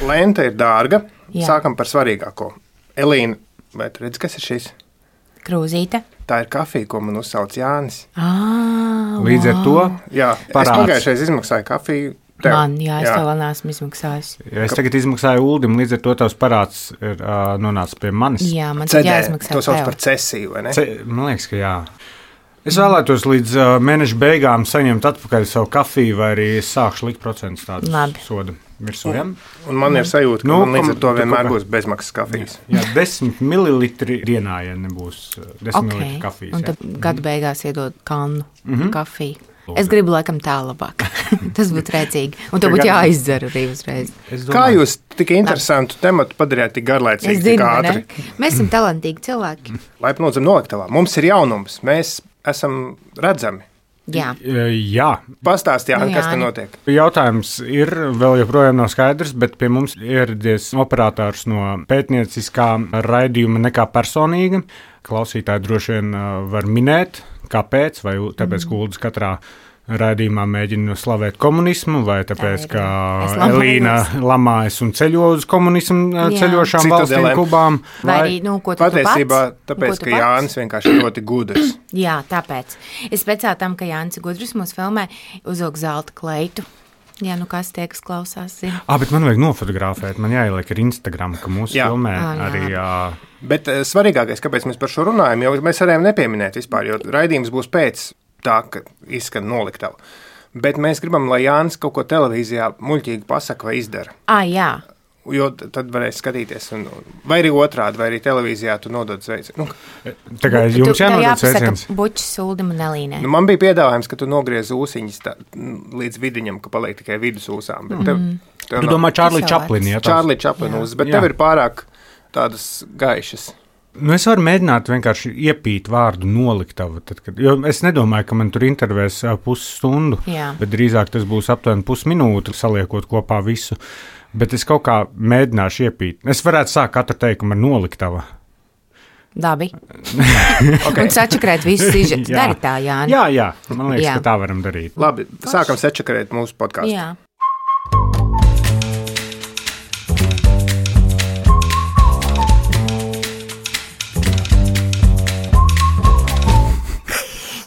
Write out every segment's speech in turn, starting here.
lente ir dārga. Sākam par svarīgāko. Elīna, vai tu redzi, kas ir šis? Krūzīte. Tā ir kafija, ko man uzsauc Jānis. Līdz ar to Jā, es pagājušais izmaksāju kafiju. Es to vēl neesmu izmaksājis. Ja es tagad izmaksāju Uldim, līdz ar to tavs parāds ir nonācis pie manis. Jā, man tad jāizmaksā to sauc par cesiju, vai ne? Man liekas, ka jā. Es vēlētos līdz mēneša beigām saņemt atpakaļ savu kafiju, vai arī es sākšu likt procentus tādus sodu virsū. Un man ir sajūta, ka man līdz ar to vienmēr būs bezmaksas kafijas. Jā, 10 mililitri dienā, ja nebūs 10 mililitri kafijas. Un tad gada beigās iedod kannu kafiju. Es gribu laikam tā labāk. Tas būtu rēcīgi. Un to būtu jāizdzer arī uzreiz. Kā jūs tik interesantu tematu padarījāt tik garlaicīgi, tik ātri? Mēs esam talantīgi cilvēki. Laipni lūdzam noliktavā. Mums ir jaunums. Mēs esam redzami. Jā. Pastāst, Jāni, kas te notiek? Jautājums ir, vēl joprojām nav skaidrs, bet pie mums ieradies operators no pētnieciskā raidījuma Nekā personīga. Klausītāji droši vien var minēt, kāpēc, vai tāpēc, ka Uldis katrā raidījumā mēģina slavēt komunismu, vai tāpēc, ka Elīna lamājas un ceļo uz komunismu ceļošām valstīm, Kubām. Vai arī, ko tu patiesībā, tāpēc, ka Jānis vienkārši ļoti gudrs. Jā, tāpēc. Es pēc tam, ka Jānis ir gudrs, mūs filmē uzvilk zelta kleitu. Jā, kas tie, kas klausās, zina. Bet man vajag nofotografēt, man jāieliek ar Instagram, ka mūsu filmē arī... Bet svarīgākais, kāpēc mēs par šo runājam, jo mēs varējām nepieminēt vispār, jo raidījums būs pēc tā, ka izskan noliktava. Bet mēs gribam, lai Jānis kaut ko televīzijā muļķīgi pasaka vai izdara. Jā. Jo tad varēs skatīties, vai arī otrādi, vai arī televīzijā tu nodod sveicienu. Tā kā jums jānodod sveiciens. Bučs, Uldim un Elīnai. Man bija piedāvājums, ka tu nogriez ūsiņas līdz vidiņam, ka paliek tikai vidus ūsām. Tu domā Čārlī Čaplini, ja? Čārlī Čaplini ūsas, bet tev ir pārāk tādas gaišas. Es varu mēģināt vienkārši iepīt vārdu noliktava, jo es nedomāju, ka man tur intervēs pusstundu, bet drīzāk tas būs aptuveni pusminūte, saliekot kopā visu. Bet es kaut kā mēģināšu iepīt. Es varētu sākt katru teikumu ar noliktava. Labi. Okay. Un sačakrēt visu sižetu. Dari tā, Jāni. Jā. Man liekas, ka tā varam darīt. Labi, sākam sačakrēt mūsu podcastu. Jā.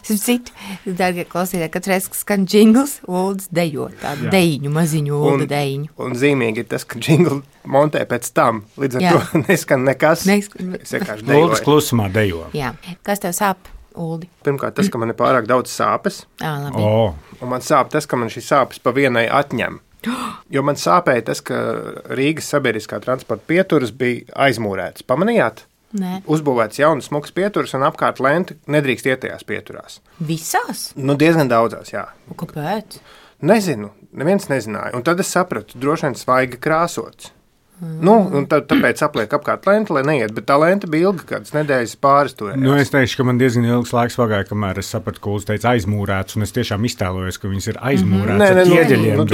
Citu, dārgie klausītāji, katru reizi, kad skan džingls, Uldis dejo tādu dejiņu, maziņu Ulda dejiņu. Un zīmīgi ir tas, ka džingli montē pēc tam, līdz ar to neskan nekas. Es vienkārši dejoju. Uldis klusumā dejo. Jā. Kas tev sāp, Uldi? Pirmkārt, tas, ka man ir pārāk daudz sāpes. Labi. Un man sāp tas, ka man šī sāpes pa vienai atņem. Jo man sāpēja tas, ka Rīgas sabiedriskā transporta pieturas bija aizmūrētas. Pamanījāt? Nē. Uzbūvēts jaunas smukas pieturas un apkārt lenti nedrīkst iet tajās pieturās. Visās? Diezgan daudzās, jā. Kāpēc? Nezinu, neviens nezināja. Un tad es sapratu, droši vien svaigi krāsots. Un tāpēc apliek apkārt lenti, lai neiet, bet tā lenta bija ilga, kādas nedēļas pāris turējās. Es teikšu, ka man diezgan ilgs laiks pagāja, kamēr es sapratu, ka Uldis teica aizmūrēts, un es tiešām iztēlojos, ka viņas ir aizmūrētas ar ķieģeļiem.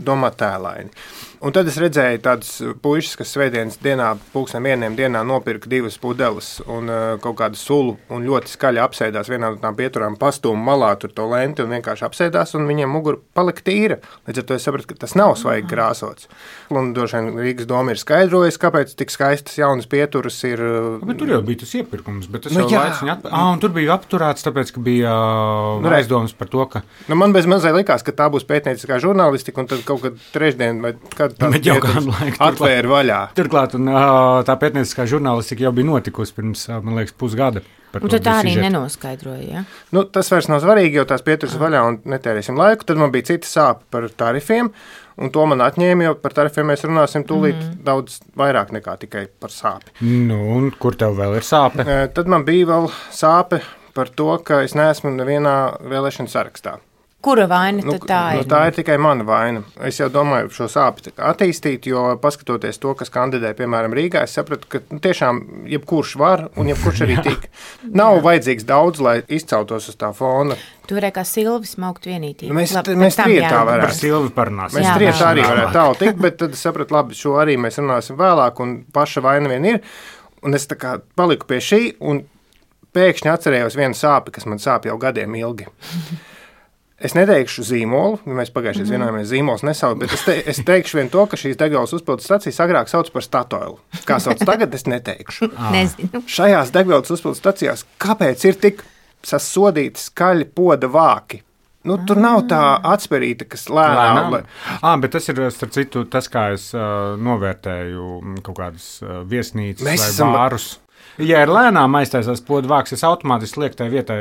Domā tēlaini. Un tad es redzēju tādus puišus, kas svētdienas dienā, 1:00 dienā nopirka 2 pudeles un kaut kādu sulu un ļoti skaļi apsēdās vienā no tām pieturām, pastūma malā tur to lenti un vienkārši apsēdās, un viņiem mugura palika tīra. Līdz ar to es sapratu, ka tas nav svaigi krāsots. Un droši vien Rīgas doma ir skaidrojusi, kāpēc tik skaistas jaunas pieturas ir. Bet tur jau bija tas iepirkums, bet tas jau laiks viņa un tur bija apturēts, tāpēc, ka bija aizdomas par to, ka. Man bez mazai likās, ka tā būs pētnieciskā žurnālistika, un tad kaut kad trešdien vai atvēra vaļā. Turklāt tā pētnieciskā žurnālistika jau bija notikusi pirms, man liekas, pusgada. Un tad tā arī nenoskaidroja, ja? Tas vairs nav svarīgi, jo tās pieturas vaļā un netērēsim laiku. Tad man bija cita sāpe par tarifiem, un to man atņēma, jo par tarifiem mēs runāsim tūlīt daudz vairāk nekā tikai par sāpi. Un kur tev vēl ir sāpe? Tad man bija vēl sāpe par to, ka es neesmu nevienā vēlēšanu sarakstā. Kura vaina tad tā ir? Tā ir tikai mana vaina. Es jau domāju šo sāpi attīstīt, jo paskatoties to, kas kandidē, piemēram, Rīgā, es sapratu, ka tiešām jebkurš var un jebkurš arī tik. Nav vajadzīgs daudz, lai izceltos uz tā fona. Tu varēja kā Silvis maukt vienītīgi. Mēs trietā varētu. Par Silvi parunāsim. Mēs trietā arī varētu tālu tikt, bet tad es sapratu, labi, šo arī mēs runāsim vēlāk, un paša vaina vien ir. Un es tā kā paliku pie šī, un pēkšņi atcerējos vienu sāpi, kas man sāp jau gadiem ilgi. Es neteikšu zīmolu, mēs pagājušajā vienojāmies zīmols nesaukt, bet es teikšu vien to, ka šīs degvielas uzpildes stacijas agrāk sauc par Statoilu. Kā sauc tagad, es neteikšu. Nezinu. Šajās degvielas uzpildes stacijās, kāpēc ir tik sasodīti skaļi poda vāki? Nu, tur nav tā atspērīta, kas lēnām. Bet tas ir, starp citu, tas, kā es novērtēju kaut kādas viesnīcas vai bārus. Ja ir lēnām aiztaisās poda vāks, es automātiski lieku tai vietai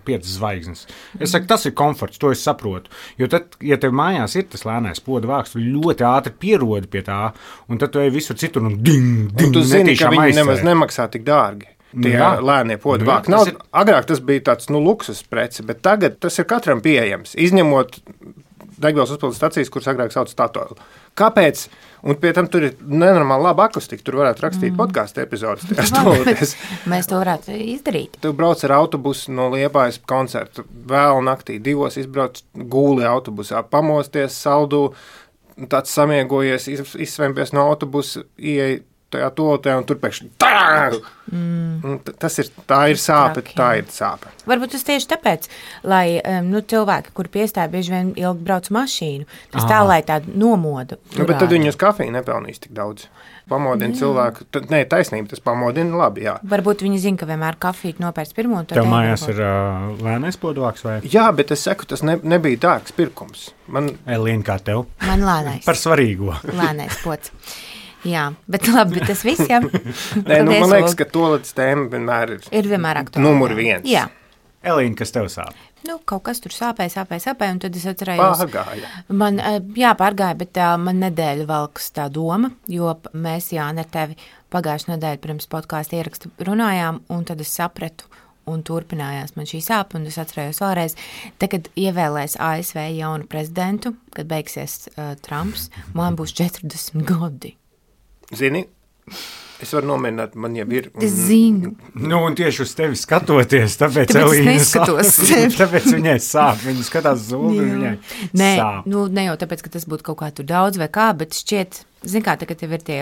5 zvaigznes. Es saku, tas ir komforts, to es saprotu. Jo tad, ja tev mājās ir tas lēnais poda vāks, tu ļoti ātri pierodi pie tā, un tad tu ej visur citur un ding, un tu zini, ka viņi nemaz nemaksā tik dārgi. Tie lēnie poda vāki. Agrāk tas bija tāds, luksus preci, bet tagad tas ir katram pieejams, izņemot degvielas uzpildes stacijas, kuras agrāk sauc Statoilu. Kāpēc? Un pie tam tur ir nenormāli laba akustika. Tur varētu rakstīt podkāstu epizodes. Mēs to varētu izdarīt. Tu brauc ar autobusu no Liepājas koncertu. Vēl naktī 2 izbrauc gūli autobusā, pamosties, saldū, tāds samiegojies, izsvempies no autobusa, ieej tajā tolotē un tur pēkšņi tā ir sāpe, tā ir sāpe. Varbūt tas tieši tāpēc, lai cilvēki, kur piestāja bieži vien ilgi brauc mašīnu, tas tā, lai tādu nomodu. Bet tad viņi uz kafiju nepelnīs tik daudz. Pamodina cilvēku. Nē, taisnība, tas pamodina labi, jā. Varbūt viņi zina, ka vienmēr kafiju nopērts pirmo. Tev mājās ir lēnais podvāks vai? Jā, bet es saku, tas nebija dārgs pirkums. Elīna, kā tev? Man lēnais. Par svarīgo. Lēnais pods. Jā, bet labi, bet tas viss, jā. Nē, man liekas, ka toaletes tēma vienmēr ir vienmēr aktuāla. Numur 1. Jā. Elīna, kas tev sāp? Kaut kas tur sāpēja, un tad es atcerējos. Pārgāja. Pārgāja, bet man nedēļa valkas tā doma, jo mēs, Jāni, ar tevi pagājušajā nedēļa pirms podkāsta ierakstu runājām, un tad es sapratu, un turpinājās man šī sāpe, un es atcerējos vēlreiz, kad ievēlēs ASV jaunu prezidentu, kad beigsies Trumps, man būs 40 gadi. Zini, es varu nomierināt, man jau ir. Es zinu. Un tieši uz tevi skatoties, tāpēc Elīna neskatos. Tāpēc viņai sāp, viņa skatās zulu, viņai sāp. Ne jau tāpēc, ka tas būtu kaut kā tur daudz vai kā, bet šķiet, zin kā, tagad tev ir tie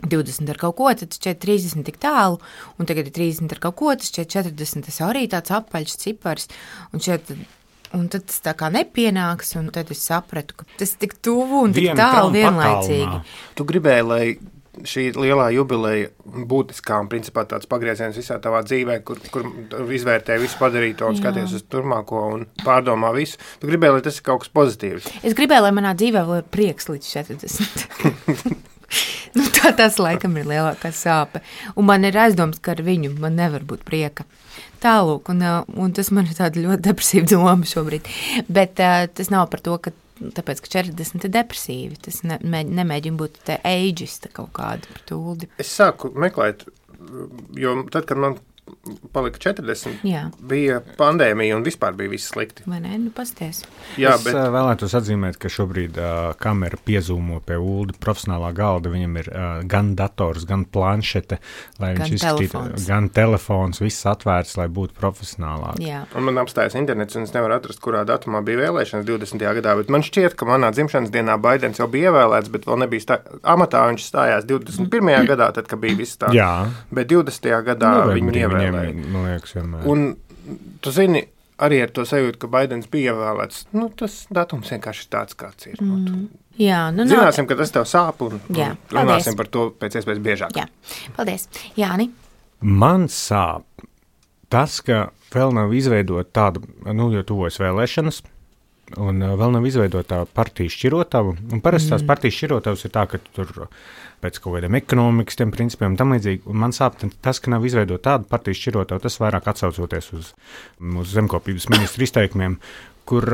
20 ar kaut ko, tad šķiet 30 tik tālu, un tagad ir 30 ar kaut ko, tad šķiet 40, tas arī tāds apaļš cipars, un tad tas tā kā nepienāks, un tad es sapratu, ka tas tik tuvu un tik tālu vienlaicīgi. Tu gribēji, lai šī lielā jubileja būtiskā un principā tāds pagrieziens visā tavā dzīvē, kur izvērtē visu padarīto un skaties uz turmāko un pārdomā visu. Tu gribēji, lai tas ir kaut kas pozitīvs. Es gribēju, lai manā dzīvē vēl ir prieks līdz 40. Tas laikam ir lielākā sāpe. Un man ir aizdoms, ka ar viņu man nevar būt prieka. Tālūk, un tas man ir tāda ļoti depresīva doma šobrīd. Bet tas nav par to, ka tāpēc, ka 40 ir depresīvi. Tas nemēģina būt te ageista kaut kāda par tūldi. Es sāku meklēt, jo tad, kad man palika 40, bija pandēmija un vispār bija viss slikti. Vai ne? Pasties. Jā, es vēlētos atzīmēt, ka šobrīd kamera piezūmo pie Uldi profesionālā galda. Viņam ir gan dators, gan planšete, lai viņš izskatītu, gan telefons, viss atvērts, lai būtu profesionālāk. Jā. Un man apstājas internets, un es nevaru atrast, kurā datumā bija vēlēšanas 20. gadā, bet man šķiet, ka manā dzimšanas dienā Baidens jau bija ievēlēts, bet vēl nebija amatā, viņš stājās 21. gadā, tad, kad bija viss tā. Jā. Bet 20. gadā viņu ievēlēja. Man liekas, vienmēr. Un tu zini, arī ar to sajūtu, ka Baidens bija ievēlēts, tas datums vienkārši ir tāds, kāds ir. Jā, zināsim, ka tas tev sāp un runāsim par to pēc iespējas biežāk. Jā, paldies. Jāni? Man sāp tas, ka vēl nav izveidota tāda, jo tuvojas vēlēšanas, un vēl nav izveidota partiju šķirotavu. Un parasti tās partijas šķirotavas ir tā, ka tur pēc kaut kādiem ekonomikas tiem principiem tam līdzīgi. Un man sāp tas, ka nav izveidota tāda partiju šķirotavu, tas vairāk atsaucoties uz zemkopības ministru izteikumiem, kur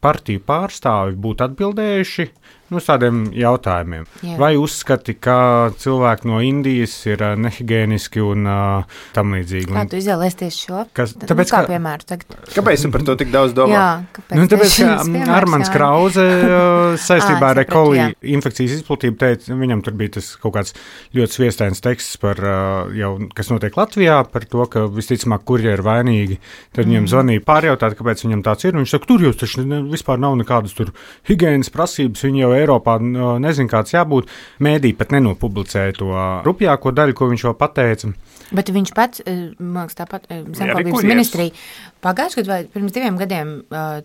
partiju pārstāvi būtu atbildējuši uz tādiem jautājumiem. Jā. Vai uzskati, ka cilvēki no Indijas ir nehigiēniski un tam līdzīgi? Kā tu izvēlēsies šo? Tāpēc, kā piemēru tagad? Kāpēc tu par to tik daudz domā? Jā, kāpēc? Tāpēc, ka Armands Krauze saistībā ar E. coli infekcijas izplatību teica, viņam tur bija tas kaut kāds ļoti sviestains teksts par kas notiek Latvijā, par to, ka visticamāk kurjeri ir vainīgi. Tad viņam zvanīja pārjautāt, kāpēc viņam tāds ir. viņš saka, tur jūs taču vispār nav nekādas tur higienas prasības, viņi jau Eiropā nezin, kāds jābūt. Mēdī pat nenopublicēja to rupjāko daļu, ko viņš vēl pateica. Bet viņš pats, man liekas, tāpat zemkopības ministrija pagājušajā gadā vai pirms 2 gadiem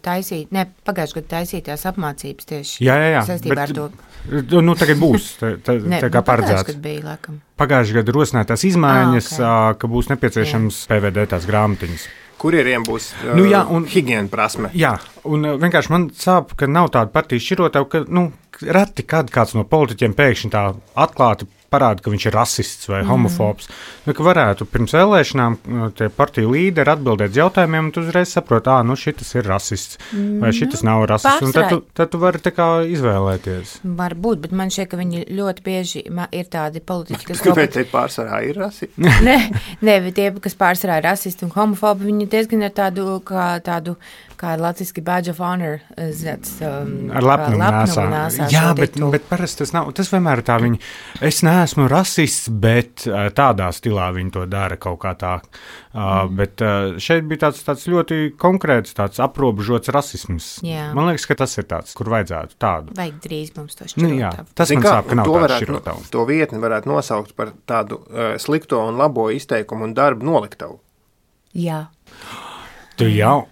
taisīja tās apmācības tieši saistībā ar to. Nu, tagad būs, tā kā paredzēts. Pagājušajā gadā rosinātās izmaiņas, ka būs nepieciešams PVD tās grāmatiņas. Kurieriem būs higiēna prasme. Jā, un vienkārši man sāp, ka nav tāda partijas šķirotāja, ka reti kāds no politiķiem pēkšņi tā atklāti parāda, ka viņš ir rasists vai homofobs. Ka varētu pirms vēlēšanām tie partiju līderi atbildēt jautājumiem, un tu uzreiz saproti, šitas ir rasists vai šitas nav rasists. Un tad tu vari tā kā izvēlēties. Varbūt, bet man šķiet, ka viņi ļoti bieži ir tādi politiķi, kas... Kāpēc tie pārsvarā ir rasisti? Nē, tie, kas pārsvarā ir rasisti un homofobi, viņi diezgan ir tādu kā latviski badge of honor, ar lepnumu nēsā. Jā, bet parasti tas nav. Tas vienmēr ir tā viņi, es neesmu rasists, bet tādā stilā viņi to dara kaut kā tā. Bet šeit bija tāds ļoti konkrēts, tāds aprobežots rasisms. Jā. Man liekas, ka tas ir tāds, kur vajadzētu tādu. Vajag drīz mums to šķirotavu. Tas man sāp, ka nav tāds šķirotavu. To vietni varētu nosaukt par tādu slikto un labo izteikumu un darbu noliktavu. Jā. Tu jau...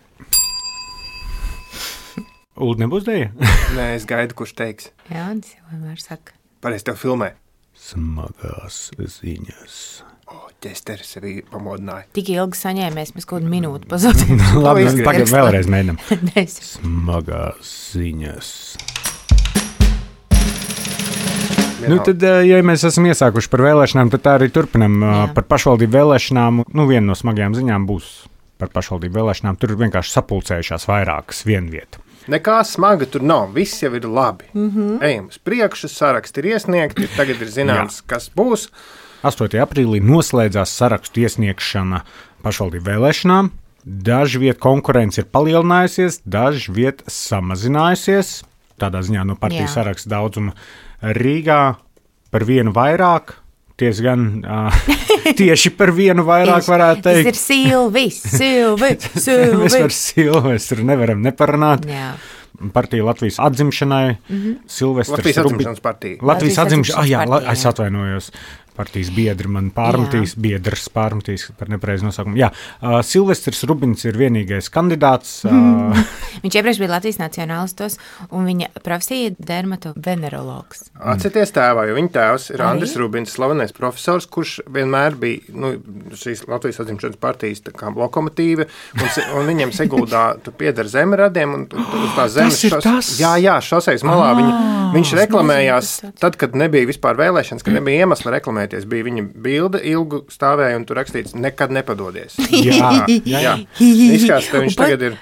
Uld nebūs dēja? Nē, es gaidu, kurš teiks. Jā, tas jau vienmēr saka. Pareiz tev filmē. Smagās ziņas. Ķesteri sevi pamodināja. Tik ilgi saņēmies, mēs kaut kādu minūti pazaudējām. Labi, tagad vēlreiz mēģinām. Smagās ziņas. Tad, ja mēs esam iesākuši par vēlēšanām, tad tā arī turpinam par pašvaldību vēlēšanām. Viena no smagajām ziņām būs par pašvaldību vēlēšanām. Tur vienkārši sapulcējušās vairākas vienvieta. Nekā smaga tur nav, viss jau ir labi. Ejam uz priekšu, saraksti ir iesniegti, tagad ir zināms, kas būs. 8. aprīlī noslēdzās sarakstu iesniegšana pašvaldību vēlēšanām. Daži viet konkurence ir palielinājusies, daži viet samazinājusies. Tādā ziņā no partijas saraksta daudzuma Rīgā par vienu vairāk. Tieši par vienu vairāk varētu teikt. Tas ir Silvis. Mēs par Silvestru nevaram neparunāt. Jā. Partija Latvijas atzimšanai. Latvijas atzimšanas partija. Latvijas atzimšanas, es atvainojos. Partijas biedri man biedrs pārmetīs par nepareizu nosaukumu. Jā, Silvestris Rubins ir vienīgais kandidāts. Viņš iepriekš bija Latvijas nacionālistos, un viņa profesija dermatovenerologs. Atcerieties tēvā, jo viņa tēvs ir Andris Rubins, slavenais profesors, kurš vienmēr bija šīs Latvijas atzimšanas partijas tā kā lokomotīve, un viņiem Seguldā pieder zemeradiem, un uz tās zemes šosejas malā viņš reklamējās tad, kad nebija vispār vēlēšanas, kad nebija iemesla reklamēt. Bija viņa bilde, ilgu stāvēja, un tur rakstīts, nekad nepadodies. Jā. Izskatās, ka viņš tagad ir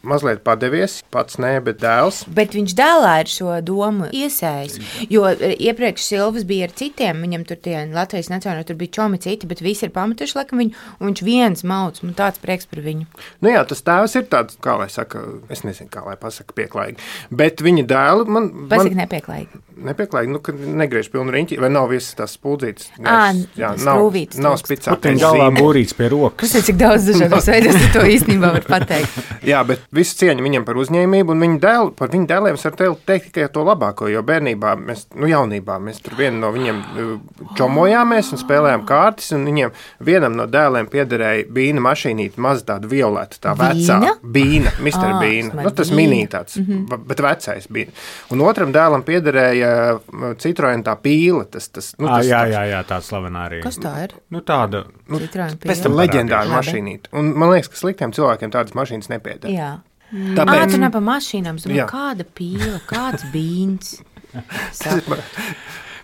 mazliet padevies, pats nē, bet dēls. Bet viņš dēlā ir šo domu iesējis, jo iepriekš Silvis bija ar citiem, viņam tur tie Latvijas nacionāli, tur bija čomi citi, bet visi ir pametuši laikam viņu, un viņš viens mauc, man tāds prieks par viņu. Jā, tas tēvs ir tāds, kā lai saka, es nezinu, kā lai pasaka pieklājīgi, bet viņa dēlu Pasaka nepieklājīgi. Nepieklājīgi, ka negriež pilnu riņķi, vai nav visas tās spuldzītes. Nav spicātais. Puteņu galvā būrīts pie rokas. Cik daudz dažādos veidos to īstenībā var pateikt. Jā, bet visu cieņu viņam par uzņēmību, un par viņu dēliem es varu teikt tikai to labāko, jo bērnībā, jaunībā mēs tur vienu no viņiem čomojāmies un spēlējām kārtis, un viņiem vienam no dēliem piederēja bīna mašīnīt, maz tādu violētu, tā vecā. Bīna, Mr. Bīna. Tas minī tāds, bet vecais bīna. Un otram dēlam piederēja Citroen tā pīle. Jā, tā slavenā arī. Kas tā ir? Tāda. Pēc tam leģendāra mašīnīte. Un man liekas, ka sliktiem cilvēkiem tādas mašīnas nepieder. Jā. Tāpēc... Tu ne pa mašīnām, domāju, kāda pīle, kāds bīns.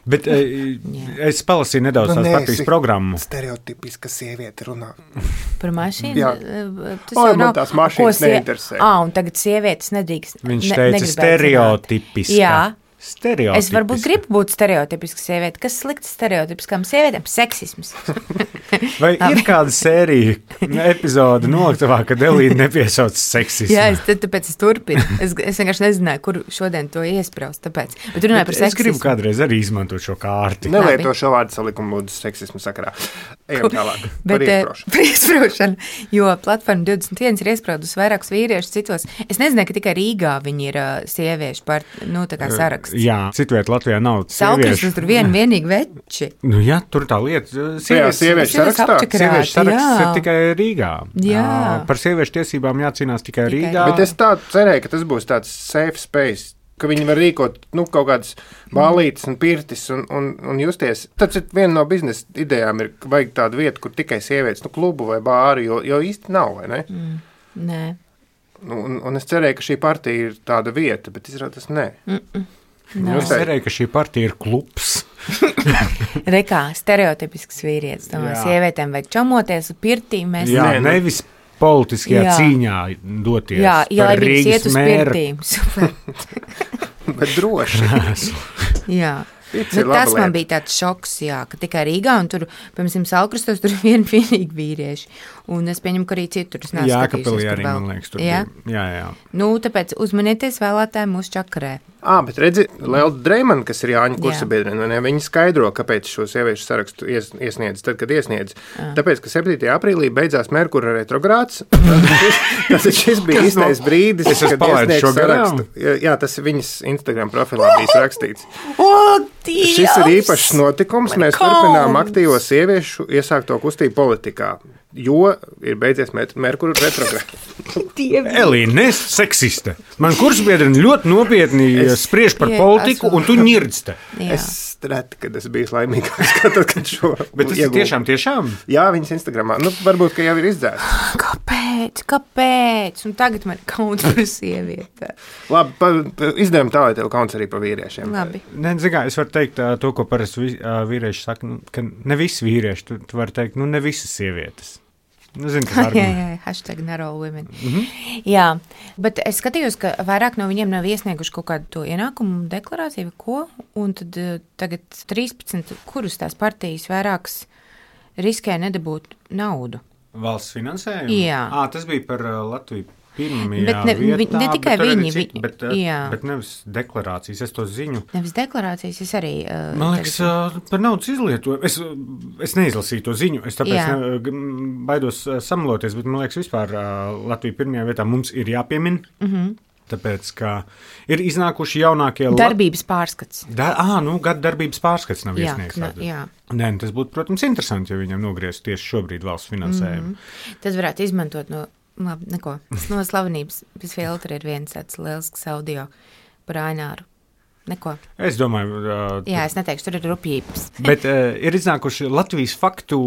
Bet es palasīju nedaudz tās partijas programmu. Stereotipiska sieviete runā. Par mašīnu? Jā. Man tās mašīnas neinteresē. Un tagad sievietes nedrīkst. Viņš teica stereotipiska. Jā. Es varbūt gribu būt stereotipiska sieviete. Kas slikts stereotipiskām sievietēm? Seksisms. Vai ir kāda sērija, epizode noliktavā, kad Elīna nepiesauc seksismu? Jā, tāpēc es turpinu. Es vienkārši nezināju, kur šodien to iespraust. Tāpēc. Bet runāju par seksismu. Es gribu kādreiz arī izmantot šo kārti. Nelieto šo vārdu salikumu lūdzu seksismu sakarā. Ejam tālāk. Bet par iesprūšanu, jo platforma 21 ir iesprūdusi vairākus vīriešus citos. Es nezināju, ka tikai Rīgā viņi ir sieviešu saraksts. Jā, citviet Latvijā nav sieviešu. Tur vienīgi veči. Nu jā, tur tā lieta. Sieviešu saraksts ir tikai Rīgā. Jā. Par sieviešu tiesībām jācīnās tikai Rīgā. Bet es tā cerēju, ka tas būs tāds safe space, ka viņi var rīkot kaut kādas bālītes un pirtis un justies. Tas ir viena no biznesa idejām, ir vajag tādu vietu, kur tikai sievietes, klubu vai bāri, jo īsti nav, vai ne? Nē. Un es cerēju, ka šī partija ir tāda vieta, bet izrādās nē. Es cerēju, ka šī partija ir klubs. Rekā, stereotipisks vīrietis. Sievietēm vajag čamoties uz pirtīm. Jā, nevis politiskajā cīņā doties. Jā, lai viņas iet uz pirtīm. Bet droši. Jā. Tas man bija tāds šoks, ka tikai Rīgā, un tur, piemēram, Salkrastos, tur ir vienīgi vīrieši. Un es pieņemu, ka arī citur. Jākapelī arī, man liekas, tur bija. Jā. Tāpēc uzmanieties vēlētāji mūsu čakarē. Bet redzi, Lelda Dreimana, kas ir Jāņa kursabiedrene, viņa skaidro, kāpēc šo sieviešu sarakstu iesniedz, tad, kad iesniedz. Tāpēc, ka 7. aprīlī beidzās Merkura retrogrāds. Tas šis bija īstais brīdis, kad iesniedz sarakstu. Jā, tas viņas Instagram profilā bija rakstīts. Šis ir īpašs notikums. Mēs turpinām aktīvo sieviešu iesākto kustību politikā, jo ir beidzies Merkura retrogrāds. Elīna, nes seksiste. Man kursbiedrene ļoti nopietni spriež par politiku, un tu ņirdz te. Es reti, kad es biju laimīgāks, kad šo Bet tas ir tiešām? Jā, viņas Instagramā. Varbūt, ka jau ir izdzēsts. Kāpēc? Un tagad man ir kauns par sievieti. Labi, izdevām tā, lai tev kauns arī par vīriešiem. Labi. Es varu teikt to, ko parasti vīrieši saka, ka ne visi vīrieši, tu vari teikt, ne visas sievietes. Zinu, jā, hashtag narrow women. Jā, bet es skatījos, ka vairāk no viņiem nav iesnieguši kaut kādu to ienākumu deklarāciju, ko, un tad tagad 13, kurus tās partijas vairākas riskē nedabūt naudu. Valsts finansējumu? Jā. Tas bija par Latviju pirmajā bet vietā. Ne tikai viņi. Bet nevis deklarācijas, es to ziņu. Nevis deklarācijas, es arī. Man liekas, par naudas izlietojumu. Es neizlasīju to ziņu, es tāpēc baidos samaloties, bet man liekas, vispār Latvija pirmajā vietā mums ir jāpiemin. Tāpēc, ka ir iznākuši jaunākie darbības pārskats. Gada darbības pārskats nav iesniegts. Nē, tas būtu, protams, interesanti, ja viņam nogriez tieši šobrīd valsts finansējumu. Tas varētu izmantot labi, neko. No slavenības bez filtra ir viens tāds lielisks audio par Aināru. Neko. Es domāju... Jā, es neteikšu, tur ir rupjības. Bet ir iznākuši Latvijas faktu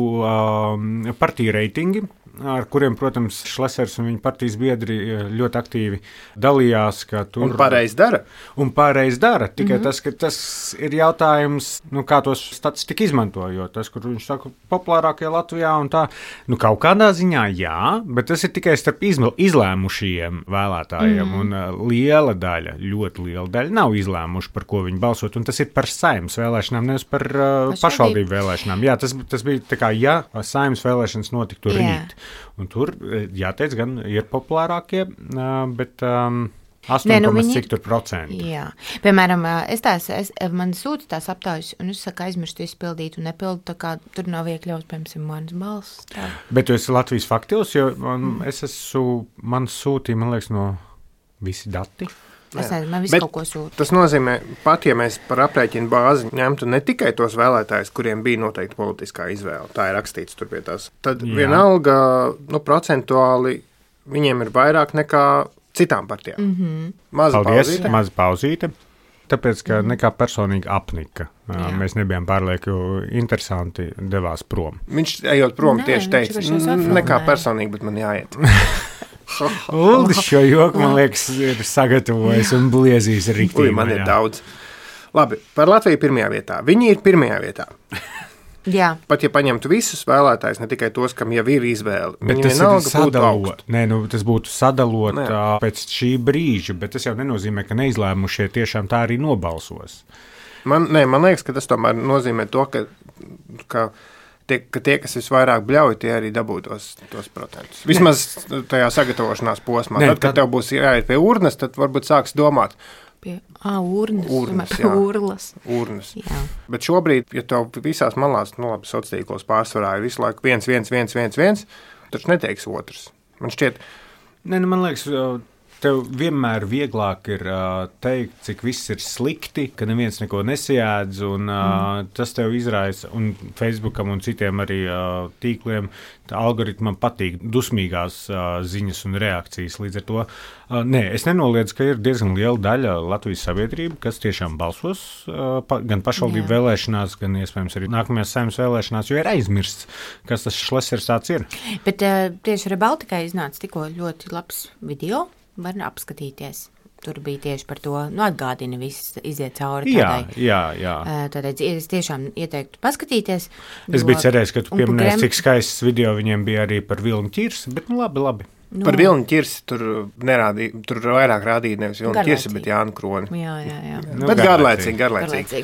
partiju reitingi, ar kuriem, protams, Šlesers un viņa partijas biedri ļoti aktīvi dalījās. Un pareizi dara. Tikai tas, ka tas ir jautājums, kā tos statistika izmanto, jo tas, kur viņš saka populārākie Latvijā un tā, kaut kādā ziņā jā, bet tas ir tikai starp izlēmušajiem vēlētājiem, un ļoti liela daļa nav izlēmuši, par ko viņi balsot, un tas ir par Saeimas vēlēšanām, nevis par pašvaldību vēlēšanām. Jā, tas bija tā kā, ja Saeimas vēlēšanas notiktu rīt. Un tur, jāteic, gan ir populārākie, bet 8,cik%. Jā. Piemēram, man sūta tās aptaujas, un es saku, aizmirstu izpildīt un nepildu, tā kā tur nav iekļauts, piemēram, manas balss. Tā. Bet tu esi Latvijas faktos, jo man sūtīja, man liekas, no visi dati. Es nezinu, man visu kaut ko sūta. Tas nozīmē, pat ja mēs par aprēķinu bāzi ņemtu ne tikai tos vēlētājus, kuriem bija noteikti politiskā izvēle, tā ir rakstīts tur pie tās, tad vienalga, procentuāli viņiem ir vairāk nekā citām partijām. Maza pauzīte. Tāpēc, ka nekā personīgi apnika. Mēs nebijām pārlieku interesanti, devās prom. Viņš ejot prom tieši teica, nekā personīgi, bet man jāiet. Uldis šo joku, man liekas, ir sagatavojis un bliezīs riktīgi. Man ir daudz. Labi, par Latviju pirmajā vietā. Viņi ir pirmajā vietā. Jā. Pat ja paņemtu visus vēlētājus, ne tikai tos, kam jau ir izvēle. Bet tas ir sadalot. Tas būtu sadalot pēc šī brīža, bet tas jau nenozīmē, ka neizlēmušie tiešām tā arī nobalsos. Man liekas, ka tas tomēr nozīmē to, ka tie, kas visvairāk bļauj, tie arī dabūtos tos procentus. Vismaz tajā sagatavošanās posmā. Tad, kad tev būs jāiet pie urnas, tad varbūt sāks domāt, Urnas. Urnas. Bet šobrīd, ja tev visās malās, labi, sociālos tīklos pārsvarā ir visu laiku viens, taču neteiks otrs. Man šķiet, man liekas, tev vienmēr vieglāk ir teikt, cik viss ir slikti, ka neviens neko nesajēdz, un tas tev izraisa, un Facebookam un citiem arī tīkliem, algoritmam patīk dusmīgās ziņas un reakcijas. Līdz ar to, es nenoliedzu, ka ir diezgan liela daļa Latvijas sabiedrība, kas tiešām balsos gan pašvaldību vēlēšanās, gan iespējams arī nākamajās Saeimas vēlēšanās, jo ir aizmirsts, kas tas Šlesers tāds ir. Bet tieši Rebaltikai iznāca tikko ļoti labs video. Var apskatīties. Tur bija tieši par to, atgādina viss, iziet cauri tādai. Jā. Tādēļ es tiešām ieteiktu paskatīties. Es biju cerējis, ka tu pieminēsi, cik skaists video viņiem bija arī par vilnu ķirsi, bet labi. Par vilnu ķirsi tur nerādīja, tur vairāk rādīja nevis vilnu ķirsi, bet Jānu Kroni. Jā. Bet garlaicīgi.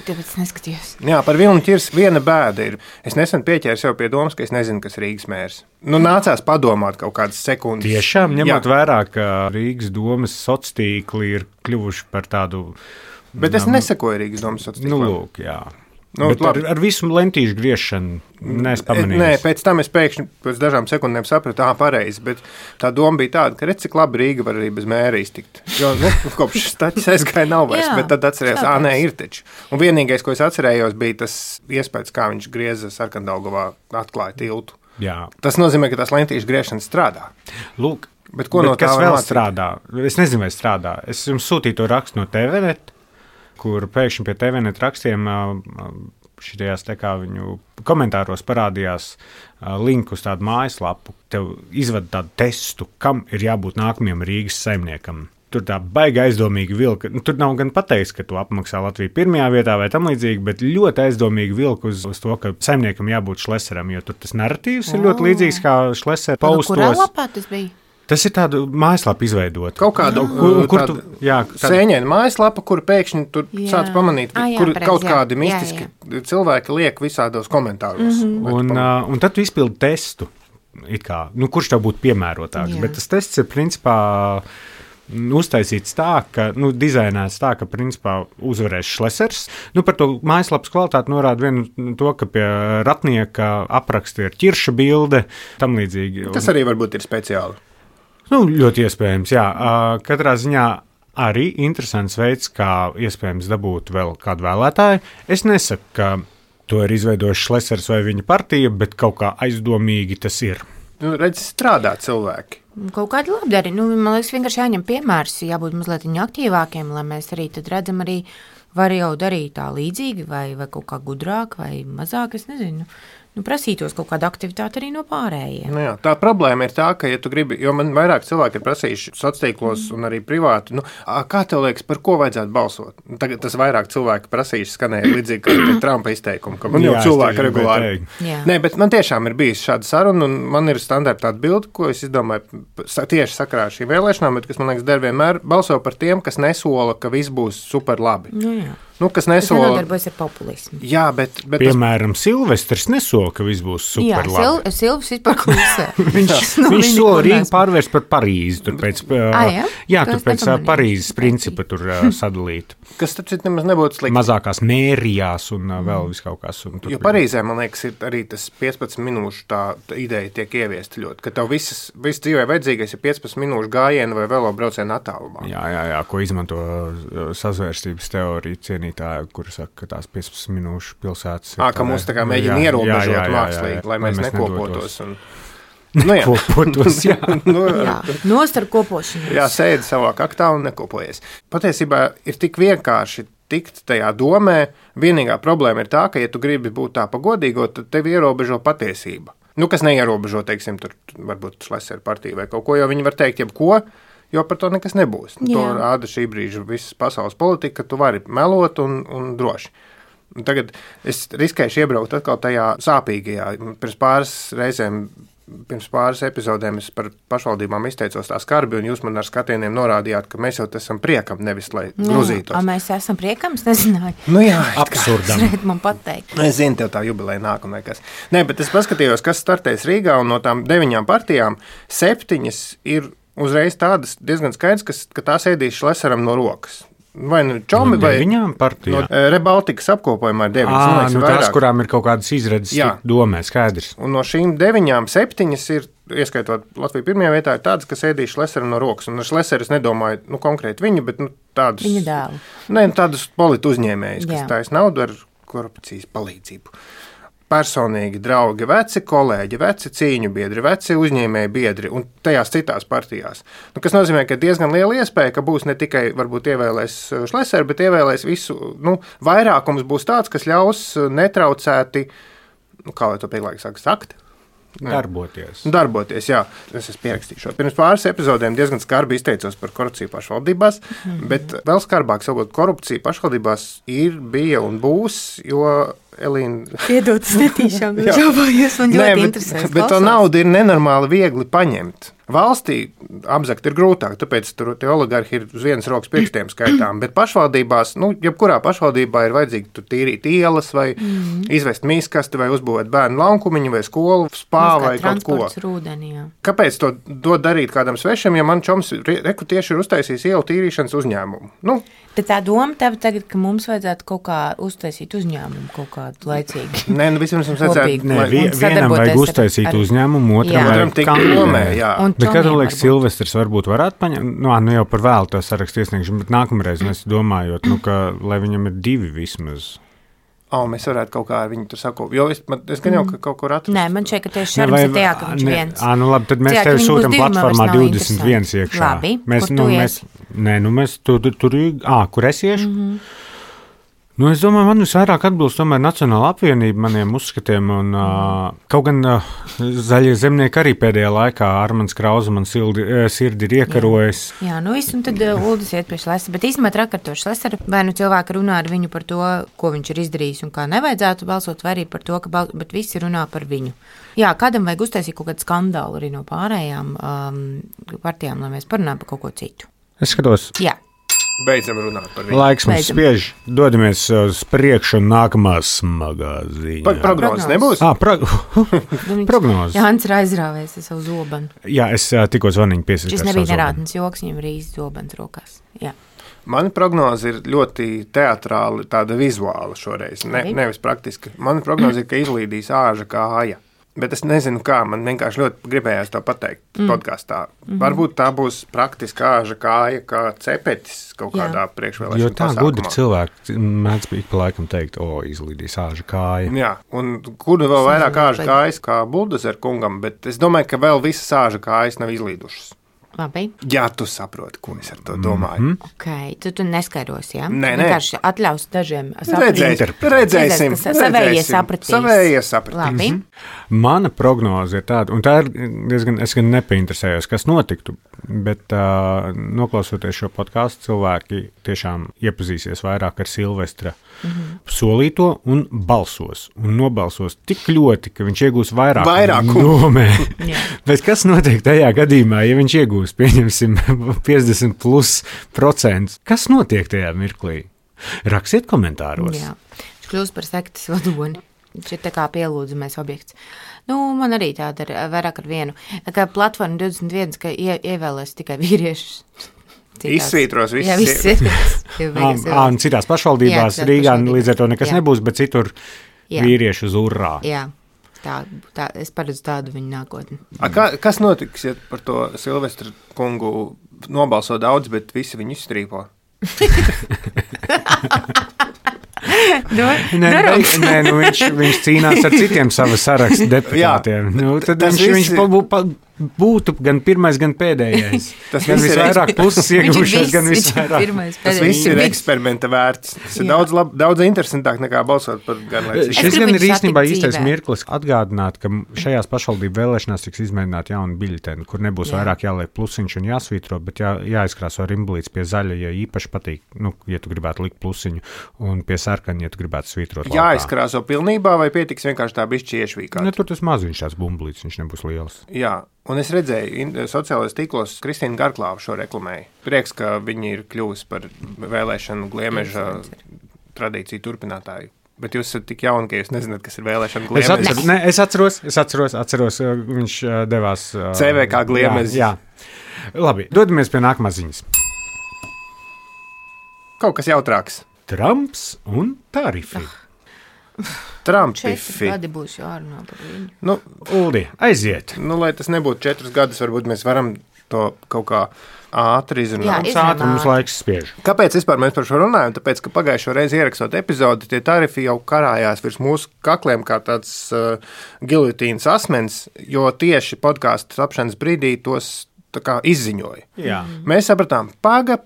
Tāpēc neskatījos. Jā, par vilnu ķirsi viena bēda ir. Es nesen pieķēru sev pie domas, ka es nezinu, kas Rīgas mērs. Nācās padomāt kaut kādas sekundes. Tiešām, ņemot vērā, ka Rīgas domas sociātīkli ir kļuvuši par tādu... Bet es nesekoju Rīgas domas sociātīklim. Lūk, jā. Ar visu lentīšu griešanu neesmu pamanījis. Nē, pēc tam es pēkšņi pēc dažām sekundēm sapratu, pareizi, bet tā doma bija tāda, ka redz, cik labi Rīga var arī bez mēra iztikt. Jo, kopš staķis aizgāja nav vairs, bet tad atcerējos, ir taču. Un vienīgais, ko es atcerējos, bija tas iespējas, kā viņš grieza Sarkandaugavā, atklāja tiltu. Jā. Tas nozīmē, ka tās lentīšu griešanas strādā. Lūk, bet ko no tā kas vēl strādā? Es nezinu, vai strādā. Es jums sūtīju to rakstu no TVNet, kur pēkšņi pie TVNet rakstiem šitajās viņu komentāros parādījās linku uz tādu mājaslapu. Tev izvada tādu testu, kam ir jābūt nākamajam Rīgas saimniekam. Tur tā baigi aizdomīgi vilka. Tur nav gan pateikts, ka tu apmaksā Latviju pirmajā vietā vai tam līdzīgi, bet ļoti aizdomīgi vilka uz to, ka saimniekam jābūt Šleseram, jo tur tas narratīvs ir ļoti līdzīgs kā Šlesera paustos. Kurā lapā tas bija? Tas ir tādu mājaslapu izveidot. Kaut kādu sēņēnu mājaslapu, kur pēkšņi tur sāc pamanīt, kur kaut kādi mistiski cilvēki liek visādos komentāros. Un tad tu izpildi testu, kurš tev būtu piemērotāks. Bet tas tests ir principā uztaisīts tā, ka, dizainēts tā, ka principā uzvarēs Šlesers. Par to mājaslapas kvalitāti norāda vienu to, ka pie ratnieka apraksta ir ķirša bilde, tam līdzīgi. Tas arī varbūt ir speciāli. Ļoti iespējams, jā. Katrā ziņā arī interesants veids, kā iespējams dabūt vēl kādu vēlētāju. Es nesaku, ka to ir izveidojis Šlesers vai viņa partija, bet kaut kā aizdomīgi tas ir. Redz, strādā cilvēki. Kaut kādi labdari. Man liekas, vienkārši jāņem piemērs, jābūt mazliet aktīvākiem, lai mēs arī tad redzam arī, var jau darīt tā līdzīgi vai kaut kā gudrāk vai mazāk, es nezinu. Prasītos kaut kādu aktivitāti arī no pārējiem. Tā problēma ir tā, ka, ja tu gribi, jo man vairāk cilvēki ir prasījuši sociālos tīklos un arī privāti, kā tev liekas, par ko vajadzētu balsot? Tagad tas vairāk cilvēki prasījuši skanēja līdzīgi kā Trumpa izteikumi, ka man jau cilvēki regulāri. Nē, bet man tiešām ir bijis šāda saruna, un man ir standarta atbilde, ko es izdomāju tieši sakarā ar šīm vēlēšanām, bet kas man liekas der vienmēr balso par tiem, kas nesola, ka viss būs super labi. Kas nesola. Tas nedarbojas ar populismu. Jā, bet piemēram, Silvestrs nesola, ka viss būs super labi. Jā, Silvestrs vispār klusē. Viņš sola Rīgu pārvērst par Parīzi. Tur pēc, tur pēc Parīzes principa tur sadalīt. Kas taču nemaz nebūtu slikti. Mazākās mērijās un vēl viskaut kas. Jo Parīzē, man liekas, ir arī tas 15 minūšu tā ideja tiek ieviesta ļoti, ka tev viss dzīvē vajadzīgais ir 15 minūšu gājiena vai velobrauciena attālumā. Jā, ko izmanto sazvērstības teorija cienītāji, kuri saka, ka tās 15 minūšu pilsētas ir. Ka mūs tā kā mēģina ierobežot mākslīgi, lai mēs nekopotos. Nekopotos, jā. Nostar kopošanos. Jā, sēdi savā kaktā un nekopojies. Patiesībā ir tik vienkārši tikt tajā domē. Vienīgā problēma ir tā, ka, ja tu gribi būt tā pagodīgo, tad tevi ierobežo patiesība. Kas neierobežo, teiksim, tur varbūt Šlesera partija vai kaut ko, jo viņi var teikt jebko, jo par to nekas nebūs. To rāda šī brīža visas pasaules politika, ka tu vari melot un droši. Tagad es riskēšu iebraukt atkal tajā sāpīgajā. Pirms pāris epizodēm es par pašvaldībām izteicos tā skarbi, un jūs man ar skatieniem norādījāt, ka mēs jau esam priekam, nevis lai grozītos. Mēs esam priekam, es nezināju. Jā, absurdam. Man pateikt. Es zinu, tev tā jubileja nāk un nekas. Nē, bet es paskatījos, kas startēs Rīgā, un no tām 9 partijām 7 ir uzreiz tādas diezgan skaidrs, ka tās ēdīs Šleseram no rokas. vai nu čomi, vai viņām partijā. No Rebaltikas apkopojumā ir 9. Nu tās, kurām ir kaut kādas izredzes domē, skaidrs. Un no šīm 9, 7 ir, ieskaitot Latviju pirmajā vietā, ir tādas, kas ēdīja Šlesera no rokas. Un ar Šlesera es nedomāju konkrēti viņu, bet tādus... Viņa dēlu. Nē, tādus politu uzņēmējus, kas taisa naudu ar korupcijas palīdzību. Personīgi draugi, veci kolēģi, veci cīņu biedri, veci uzņēmēji biedri un tajās citās partijās. Kas nozīmē, ka diezgan liela iespēja, ka būs ne tikai varbūt ievēlēs Šleseru, bet ievēlēs visu, vairākums būs tāds, kas ļaus netraucēti, kā lai to pieklājīgi sakt? Darboties, jā. Es esmu pierakstījis šo. Pirms pāris epizodēm diezgan skarbi izteicos par korupciju pašvaldībās, bet vēl skarbāk sakot, korupcija pašvaldībās bija un būs, jo Elīna... Piedod, es netīšām žāvājies, man ļoti interesēs. Bet to naudu ir nenormāli viegli paņemt. Valstī apzakt ir grūtāk, tāpēc tur tie oligarhi ir uz vienas rokas pirkstiem skaitām, bet pašvaldībās, jebkurā pašvaldībā ir vajadzīgi tur tīrīt ielas vai izvest mīskasti vai uzbūvēt bērnu laukumiņu vai skolu, spā vai kaut ko. Rūdeni, jā. Kāpēc to darīt kādam svešam, ja man čoms tieši ir uztaisījis ielu tīrīšanas uzņēmumu? Bet tā doma tev tagad, ka mums vajadzētu kaut kā uztaisīt uzņēmumu kaut kādu laicīgi. Nē, vispirms mums vajadzētu... Vienam vajag uztaisīt uzņēmumu, otram tik domē, jā. Bet kā tev liekas, Silvestrs varbūt varētu paņemt? Jau par vēlu to sarakstu iesniegšanu, bet nākamreiz mēs domājot, ka lai viņam ir 2 vismaz. Mēs varētu kaut kā ar viņu tur sakot, jo es gan jau kaut kur atrast. Nē, man šeit, ka tieši šarms ir tajā, ka viņš viens. Labi, tad mēs tevi sūtam platformā 21 iekšā. Labi, kur tu ies? Kur es iešu? Es domāju, man visvairāk atbilst tomēr Nacionāla apvienība maniem uzskatiem, un kaut gan zaļie zemnieki arī pēdējā laikā Armands Krauze man sirdi ir iekarojis. Jā, un tad Uldis iet pie Šlesera, bet īstenībā trakarto Šlesera, vai cilvēki runā ar viņu par to, ko viņš ir izdarījis un kā nevajadzētu balsot, vai arī par to, bet visi runā par viņu. Jā, kādam vajag uztaisīt kaut kādu skandālu arī no pārējām partijām, lai mēs parunājam par kaut ko citu. Es skatos. Jā. Beidzam runāt par viņu. Laiks mums spiež, dodamies uz priekšu un nākamā smagā ziņā. Prognozes nebūs? Prognozes. Jānis ir aizrāvēs ar savu zobenu. Jā, es tikko zvaniņu piesaistījos. Šis nebija nerādnes joks, viņam ir īsti zobens rokās. Jā. Mana prognoze ir ļoti teatrāli, tāda vizuāla šoreiz, nevis praktiski. Mana prognoze ir, ka izlīdīs āža kāja. Bet es nezinu, kā. Man vienkārši ļoti gribējās to pateikt podkastā. Varbūt tā būs praktiska āža kāja, kā cepetis kaut kādā priekšvēlēšana pasākumā. Jo tā gudri cilvēki mēdz ik pa laikam teikt, izlīdīs āža kāja. Jā, un kur vēl vairāk āža kājas kā Buldozer kungam, bet es domāju, ka vēl visas āža kājas nav izlīdušas. Labi. Jā, tu saproti, ko es ar to domāju. Okay, tu neskaidrosi, jā? Nē. Vienkārši atļaus dažiem redzēsim. Savējie sapratīs. Savējie sapratīs. Labi. Mana prognoze ir tāda, un tā ir diezgan, es gan nepainteresējos, kas notiktu, bet noklausoties šo podcastu, cilvēki tiešām iepazīsies vairāk ar Silvestra solīto un balsos. Un nobalsos tik ļoti, ka viņš iegūs vairāk domē. Bet kas notiek tajā gadījumā, ja viņš iegūs, pieņemsim, 50+%? Kas notiek tajā mirklī? Rakstiet komentāros. Jā, viņš kļūst par sektas vadoni. Viņš ir tā kā pielūdzamais objekts. Man arī tāda ir vairāk ar vienu. Kā platforma 21, ka ievēlēs tikai vīriešus. Izsvītros visus. Jā, viss. Un citās pašvaldībās Rīgā līdz ar to nekas nebūs, bet citur vīrieši uz urrā. Jā. Tā, es paredzu tādu viņu nākotni. Kas notiks, ja par to Silvestra kungu nobalso daudz, bet visi viņu izstrīpo? Viņš cīnās ar citiem savas sarakstu deputātiem. Tad viņš būtu gan pirmais, gan pēdējais. Tas gan visvairāk puses iegūšais, gan visvairāk. Tas viss ir eksperimenta vērts. Tas ir daudz interesantāk nekā balsot par gan lai cik. Šis gan ir īstenībā īstais mirklis atgādināt, ka šajās pašvaldību vēlēšanās tiks izmēģināt jaunu biļeteni, kur nebūs vairāk jāliek plusiņš un jāsvītro, bet jāizkrāso rimblīts pie zaļa, ja īpaši patīk, ja tu gribētu likt plusiņu, un pie sarkani, ja tu gribētu svītrot laukā. Jāizkrāso pilnībā vai pietiks vienkārši tā bišķi iešvīkāt? Tur tas maziņš tās bumblīts, viņš nebūs liels. Jā. Un es redzēju, sociālajos tīklos Kristīna Garklāva šo reklamēju. Prieks, ka viņi ir kļuvusi par vēlēšanu gliemeža tradīciju turpinātāju. Bet jūs esat tik jauni, ka jūs nezināt, kas ir vēlēšanu gliemeža. Es atceros, viņš devās CVK gliemeža. Jā. Labi, dodamies pie nākamās ziņas. kaut kas jautrāks. Trumps un tarifi. Trumpifi. 4 gadi būs jārunā par viņu. Nu, Uldi, aiziet. lai tas nebūtu 4 gadus, varbūt mēs varam to kaut kā ātri izrunāt. Jā, Mums laiks spiež. Kāpēc vispār mēs par šo runājam? Tāpēc, ka pagājušo reizi ierakstot epizodi, tie tarifi jau karājās virs mūsu kakliem kā tāds gilotīnas asmens, jo tieši podkāstu tapšanas brīdī tos tā kā izziņoja. Jā. Mēs sapratām, paga,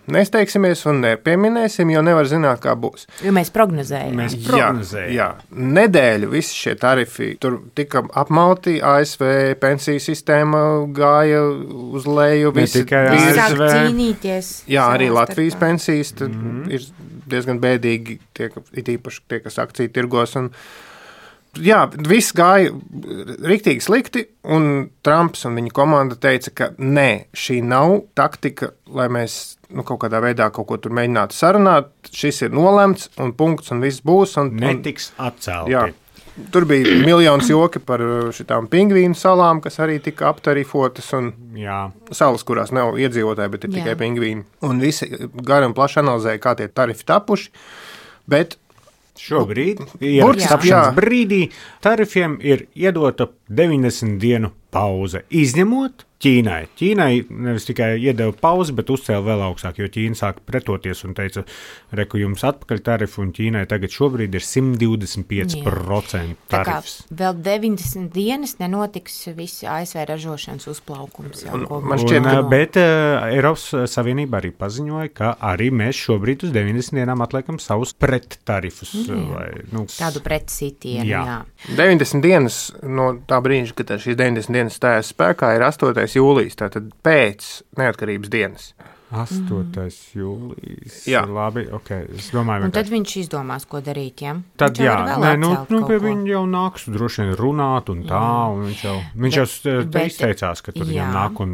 nesteigsimies un nepieminēsim, jo nevar zināt, kā būs. Jo mēs prognozējam. Mēs prognozējam. Jā. Nedēļu visi šie tarifi tur tika apmalti, ASV pensiju sistēma gāja uz leju. tikai Sāk ASV. cīnīties. Jā, arī savā Latvijas starpā. pensijas ir diezgan bēdīgi, it īpaši tie, kas akciju tirgos. Jā, viss gāja riktīgi slikti, un Trumps un viņa komanda teica, ka nē, šī nav taktika, lai mēs kaut kādā veidā kaut ko tur mēģinātu sarunāt. Šis ir nolemts, un punkts, un viss būs. Netiks atcelti. Jā. Tur bija miljonus joki par šitām pingvīnu salām, kas arī tika aptarifotas, un salas, kurās nav iedzīvotāji, bet ir tikai pingvīni. Un visi gari un plaši analizēja, kā tie tarifi tapuši, bet šobrīd, ierakstapšanas brīdī, tarifiem ir iedota 90 dienu pauze, izņemot Ķīnai. Ķīnai nevis tikai iedeva pauzi, bet uzcēla vēl augstāk, jo Ķīna sāka pretoties un teica, reku jums atpakaļ tarifu, un Ķīnai tagad šobrīd ir 125% tarifs. Vēl 90 dienas nenotiks visi ASV ražošanas uzplaukums. Man šķiet, bet Eiropas Savienība arī paziņoja, ka arī mēs šobrīd uz 90 dienām atliekam savus prettarifus. Tādu pretsitienu, jā. 90 dienas no tā brīža, kad šīs 90 dienas stājās spēkā, ir 8. jūlijas, tātad pēc neatkarības dienas. 8. jūlijas. Jā. Labi, ok. Es domāju, un tad viņš izdomās, ko darīt, ja? Tad jā, pie viņa jau nāks droši vien runāt un tā, un viņš jau izteicās, ka tur viņam nāk un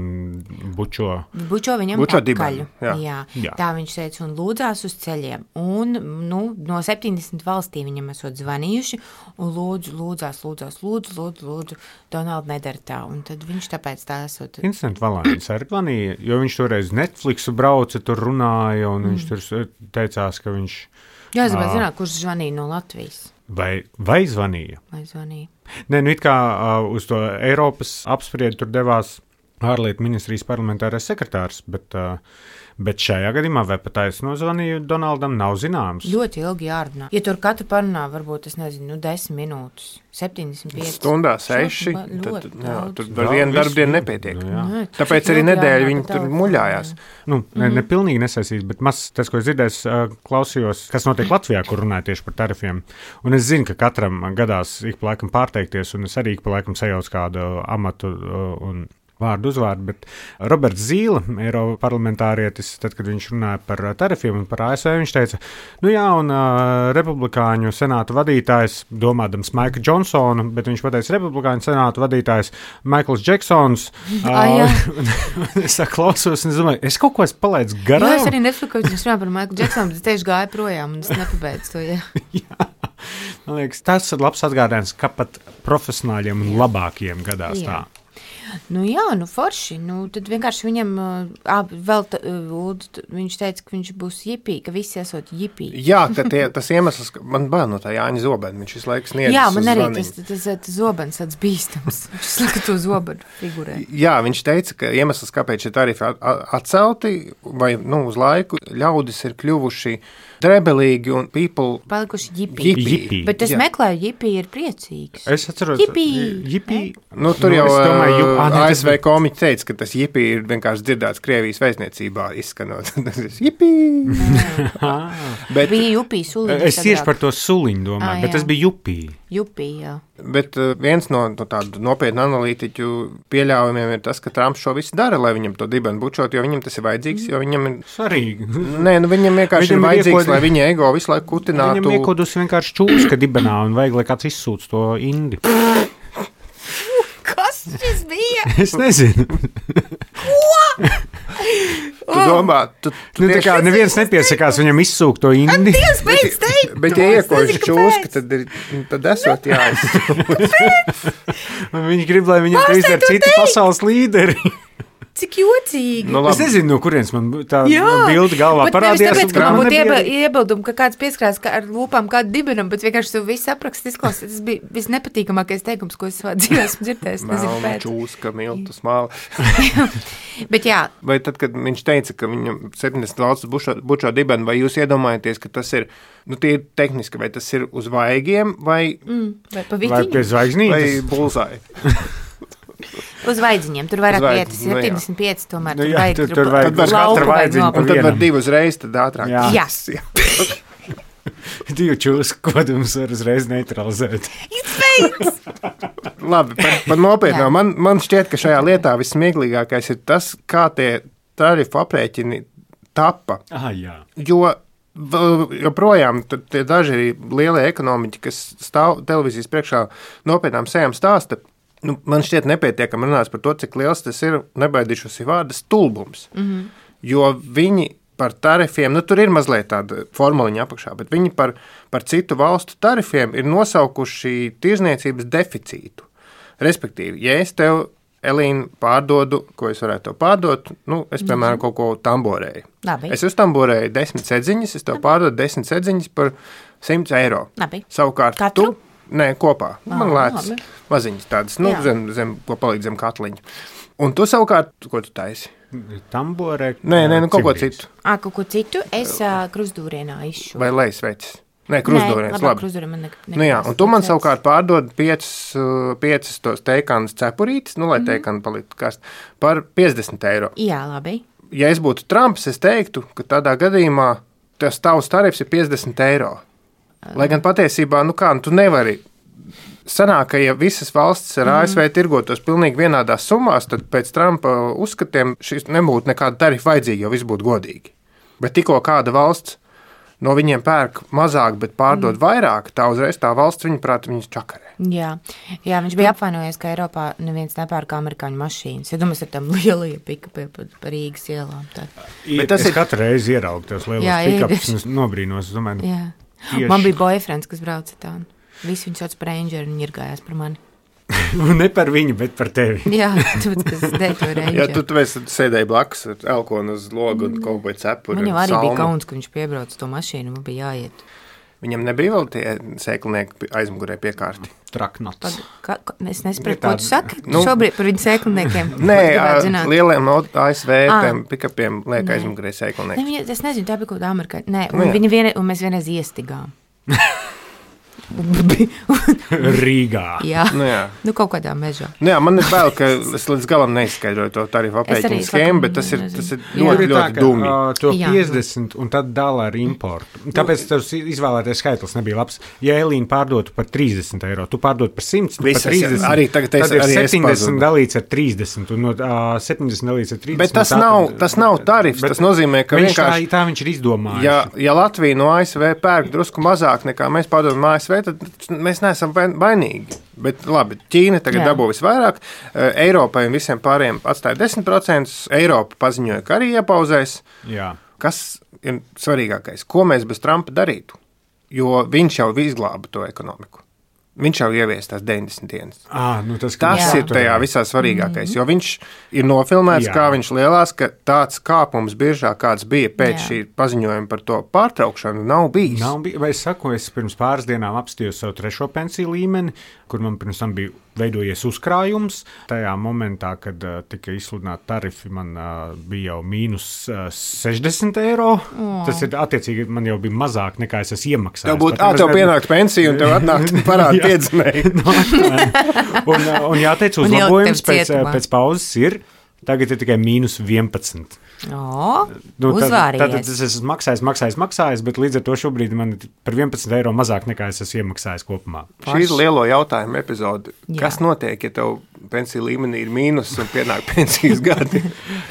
bučo. Bučo viņam pakaļ. Jā. Tā viņš teica un lūdzās uz ceļiem. Un, no 70 valstīm viņam esot zvanījuši un lūdzu, Donald nedara tā. Un tad viņš tāpēc tā esot. Instant Valēns arī zvanīja, jo viņš toreiz Netflixu brauca, tur runāja, un viņš tur teicās, ka viņš... Jā, es gribētu zināt, kurš zvanīja no Latvijas. Vai zvanīja? Vai zvanīja? Nē, it kā uz to Eiropas apspriedi tur devās ārlietu ministrijas parlamentārais sekretārs, bet šajā gadījumā vai pat aizsnozvanīju Donaldam nav zināms. Ļoti ilgi jārunā. Ja tur katru parunā, varbūt, 10 minūtes, 75. Stundā 6, tad tur var vienu darbdienu nepietiek. Tāpēc arī nedēļu viņi tur muļājās. Ne pilnīgi nesaistīs, bet tas, ko es dzirdēju, klausījos, kas notiek Latvijā, kur runāja tieši par tarifiem. Un es zinu, ka katram gadās ik pa laikam pārteikties, un es arī ik pa laikam sajaucu kādu amatu un vārdu uzvārdu, bet Roberts Zīle, Eiroparlamentārietis, tad, kad viņš runāja par tarifiem un par ASV, viņš teica, un republikāņu senāta vadītājs, domādams Maiklu Džonsonu, bet viņš pateica republikāņu senāta vadītājs Maikls Džeksons. Es klausos un es domāju, es kaut ko esmu palaidis garām. Jā, es arī nesaku, ka viņš runā par Maiklu Džeksonu, bet es tieši gāju projām un es nepabeidzu to, Jā. Man liekas, tas ir labs atgādājums, ka pat profesionāļiem un labākajiem gadās tā. Forši. Tad vienkārši viņam viņš teica, ka viņš būs jipī, ka visi esot jipī. Jā, ka tas iemesls, man bail no tā Jāņa zobena, viņš visu laiku sniedz. Jā, man arī tas zobens tāds bīstams. Viņš slaka to zobenu figurē. Jā, viņš teica, ka iemesls, kāpēc šie tarifi atcelti vai uz laiku, ļaudis ir kļuvuši drebelīgi un palikuši jipī. Bet es meklēju, jipī ir priecīgs. Es atceros, jipī. Tur jau ASV komiķi teica, ka tas jipī ir vienkārši dzirdēts Krievijas vēstniecībā izskanot. Tas ir jipī. Bija jupī suliņi. Es tieši par to suliņu domāju, bet tas bija jupī. Jupī, jā. Bet viens no tādu nopietnu analītiķu pieļaujumiem ir tas, ka Trumps šo visu dara, lai viņam to dibenu bučot, jo viņam tas ir vajadzīgs, jo viņam ir... Svarīgi. Nē, viņam vienkārši ir vajadzīgs, lai viņa ego visu laiku kutinātu. Viņam iekodus vienkārši čūska dibenā un vajag, lai kāds izsūc to indi. Kas šis bija? Es nezinu. Ko? Tu domā, tā kā neviens nepiesakās viņam izsūkt to indi. Bet ja iekoši čūska, tad esot jāizsūkt. Viņi grib, lai viņam to izdara citi pasaules līderi. Cik jocīgi. Nu, Es nezinu, no kurienes man tā bilde galvā bet parādījās. Tāpēc, ka man būtu iebildumi, ka kāds pieskrās ar lūpām kādu dibenam, bet vienkārši tu visu aprakst izklausīt. Tas bija visnepatīkamākais teikums, ko es savā dzīvē esmu dzirdējis. Melna čūska, miltu smāla. Bet jā. Vai tad, kad viņš teica, ka viņam 70 valsts bučo dibenu, vai jūs iedomājaties, ka tas ir, tie ir tehniski, vai tas ir uz vaigiem, vai pie zvaigznītes? Vai bulzāji? Uz vaidziņiem, tur vairāk vietas, 75 tomēr. Tur vajag katra vaidziņa. Un tad var 2 uzreiz, tad ātrāk. Jā. 2 čūsku kodums var uzreiz neutralizēt. Labi, par nopietno. Man šķiet, ka šajā lietā vissmieklīgākais ir tas, kā tie tarifu aprēķini tapa. Jo joprojām tie daži lielie ekonomiķi, kas stāv televīzijas priekšā nopietnām sejām stāsta, man šķiet nepietiekami runās par to, cik liels tas ir, nebaidīšos vārda, stulbums. Jo viņi par tarifiem, tur ir mazliet tāda formuliņa apakšā, bet viņi par citu valstu tarifiem ir nosaukuši tirzniecības deficītu. Respektīvi, ja es tev, Elīna, pārdodu, ko es varētu tev pārdot, es, piemēram, kaut ko tamborēju. Labi. Es uztamborēju 10 sedziņas, es tev pārdodu 10 sedziņas par 100 eiro. Labi. Savukārt Katru? Nē, kopā. Man lētas maziņas tādas, zem, ko palīdz zem katliņa. Un tu savukārt, ko tu taisi? Tamborē. Nē, kaut ko citu. Kaut ko citu es krustdūrienā izšu. Vai lejas? Nē, krustdūriens, labi. Krustdūrien man Un tu man savukārt pārdod 5 tos teikānas cepurītes, lai teikāna paliktu karst, par 50 eiro. Jā, labi. Ja es būtu Trumps, es teiktu, ka tādā gadījumā tavs tarifs ir 50 eiro. Lai gan patiesībā, tu nevari. Sanāk, ka ja visas valstis ar ASV tirgotos pilnīgi vienādās summās, tad pēc Trumpa uzskatiem šis nebūtu nekāda tarifa vajadzīga, jo viss būtu godīgi. Bet tikko kāda valsts no viņiem pērk mazāk, bet pārdod vairāk, tā uzreiz tā valsts, viņas čakarē. Jā, viņš bija apvainojies, ka Eiropā neviens nepērk amerikāņu mašīnas. Ja domās ar tām lielajiem pikapiem pa Rīgas ielām. Bet tas ir katru reizi ieraugt tos lielos pikapus un nobrīnos. Man bija boyfriends, kas brauca tā. Visi viņu sauc par Ranger un ņirgājās par mani. Ne par viņu, bet par tevi. Jā, tāpēc, kas dēļ to Ranger. Jā, tu sēdēji blakus ar elkonu uz logu un kaut vai cepuri. Man jau arī bija kauns, ka viņš piebrauc to mašīnu, man bija jāiet. Viņam nebija vēl tie sēklinieki aizmugurē piekārti? Traknots. Es nesapratu, ko tu saki šobrīd par viņu sēkliniekiem. Nē, lieliem ASV pikapiem liek aizmugurē sēklinieki. Es nezinu, tā bija kaut kāda amerikāņa. Nē, un mēs vienreiz iestigām. Rīgā. Jā, kaut kādā mežā. Man ir bail, ka es līdz galam neizskaidroju to tarifu aprēķinu schēmu, bet tas ir ļoti dūmi. To 50 un tad dala ar importu. Tāpēc tas izvēlētais skaitlis nebija labs. Ja Elīna pārdotu par 30 eiro, tu pārdot par 100, par 30, arī tagad tad ir 70 dalīts ar 30 un no 70 dalīts ar 30. Bet tas nav tarifs, tas nozīmē, ka vienkārši tā viņš ir izdomājis. Ja Latvija no ASV pērk drusku mazāk nekā mēs pārdodam ASV, tad mēs neesam vainīgi. Bet labi, Ķīna tagad dabū visvairāk, Eiropai un visiem pārējiem atstāja 10%, Eiropa paziņoja, ka arī iepauzēs. Jā. Kas ir svarīgākais? Ko mēs bez Trumpa darītu? Jo viņš jau izglāba to ekonomiku. Viņš jau ievies tās 90 dienas. Tas ir tajā visā svarīgākais, jo viņš ir nofilmēts, kā viņš lielās, ka tāds kāpums biežāk kāds bija pēc šī paziņojuma par to pārtraukšanu nav bijis. Es saku, es pirms pāris dienām apstījos savu 3. pensiju līmeni, kur man pirms tam bija veidojies uzkrājums. Tajā momentā, kad tika izsludināti tarifi, man bija jau mīnus 60 eiro. Tas ir attiecīgi, man jau bija mazāk nekā es esmu iemaksājis. Tev pienākt pensiju un tev atnākt parādi piedzimēji. Un jāteic, uzlabojums pēc pauzes ir, tagad ir tikai mīnus 11. Uzvārījies. Tad es esmu maksājis, bet līdz ar to šobrīd man ir par 11 eiro mazāk nekā es esmu iemaksājis kopumā. Šī ir lielo jautājumu epizode. Kas notiek, ja tev pensiju līmenī ir mīnus un pienāk pensijas gadi?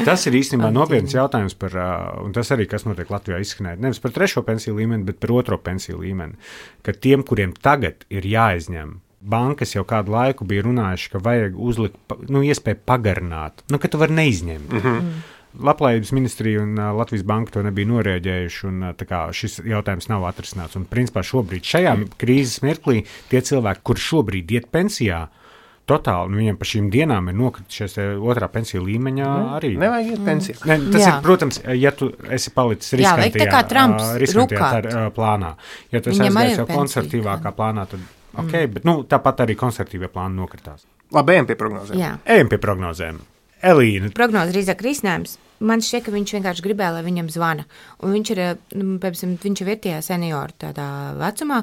Tas ir īstenībā nopietns jautājums par, un tas arī, kas notiek Latvijā izskanēt, nevis par 3. pensiju līmeni, bet par 2. pensiju līmeni, ka tiem, kuriem tagad ir jāizņem, bankas jau kādu laiku bija runājuši, ka vajag uzlikt, iespēju pagarināt, ka tu vari neizņemt. Labklājības ministrija un Latvijas banka to nebija norēģējuši, un šis jautājums nav atrisināts. Un, principā, šobrīd šajā krīzes mirklī tie cilvēki, kuri šobrīd iet pensijā, totāli. Viņam pa šīm dienām ir nokritušies otrā pensiju līmeņā arī. Nevajag iet pensiju. Ne, tas ir, protams, ja tu esi palicis riskantajā plānā. Ja tu esi aizgājis jau konservatīvākā plānā, tad bet tāpat arī konservatīvie plāni nokritās. Labi, ejam pie prognozēm. Elīna. Prognoze drīzāk risinājums. Man šķiet, ka viņš vienkārši gribēja, lai viņam zvana. Un viņš ir tie seniori tādā vecumā,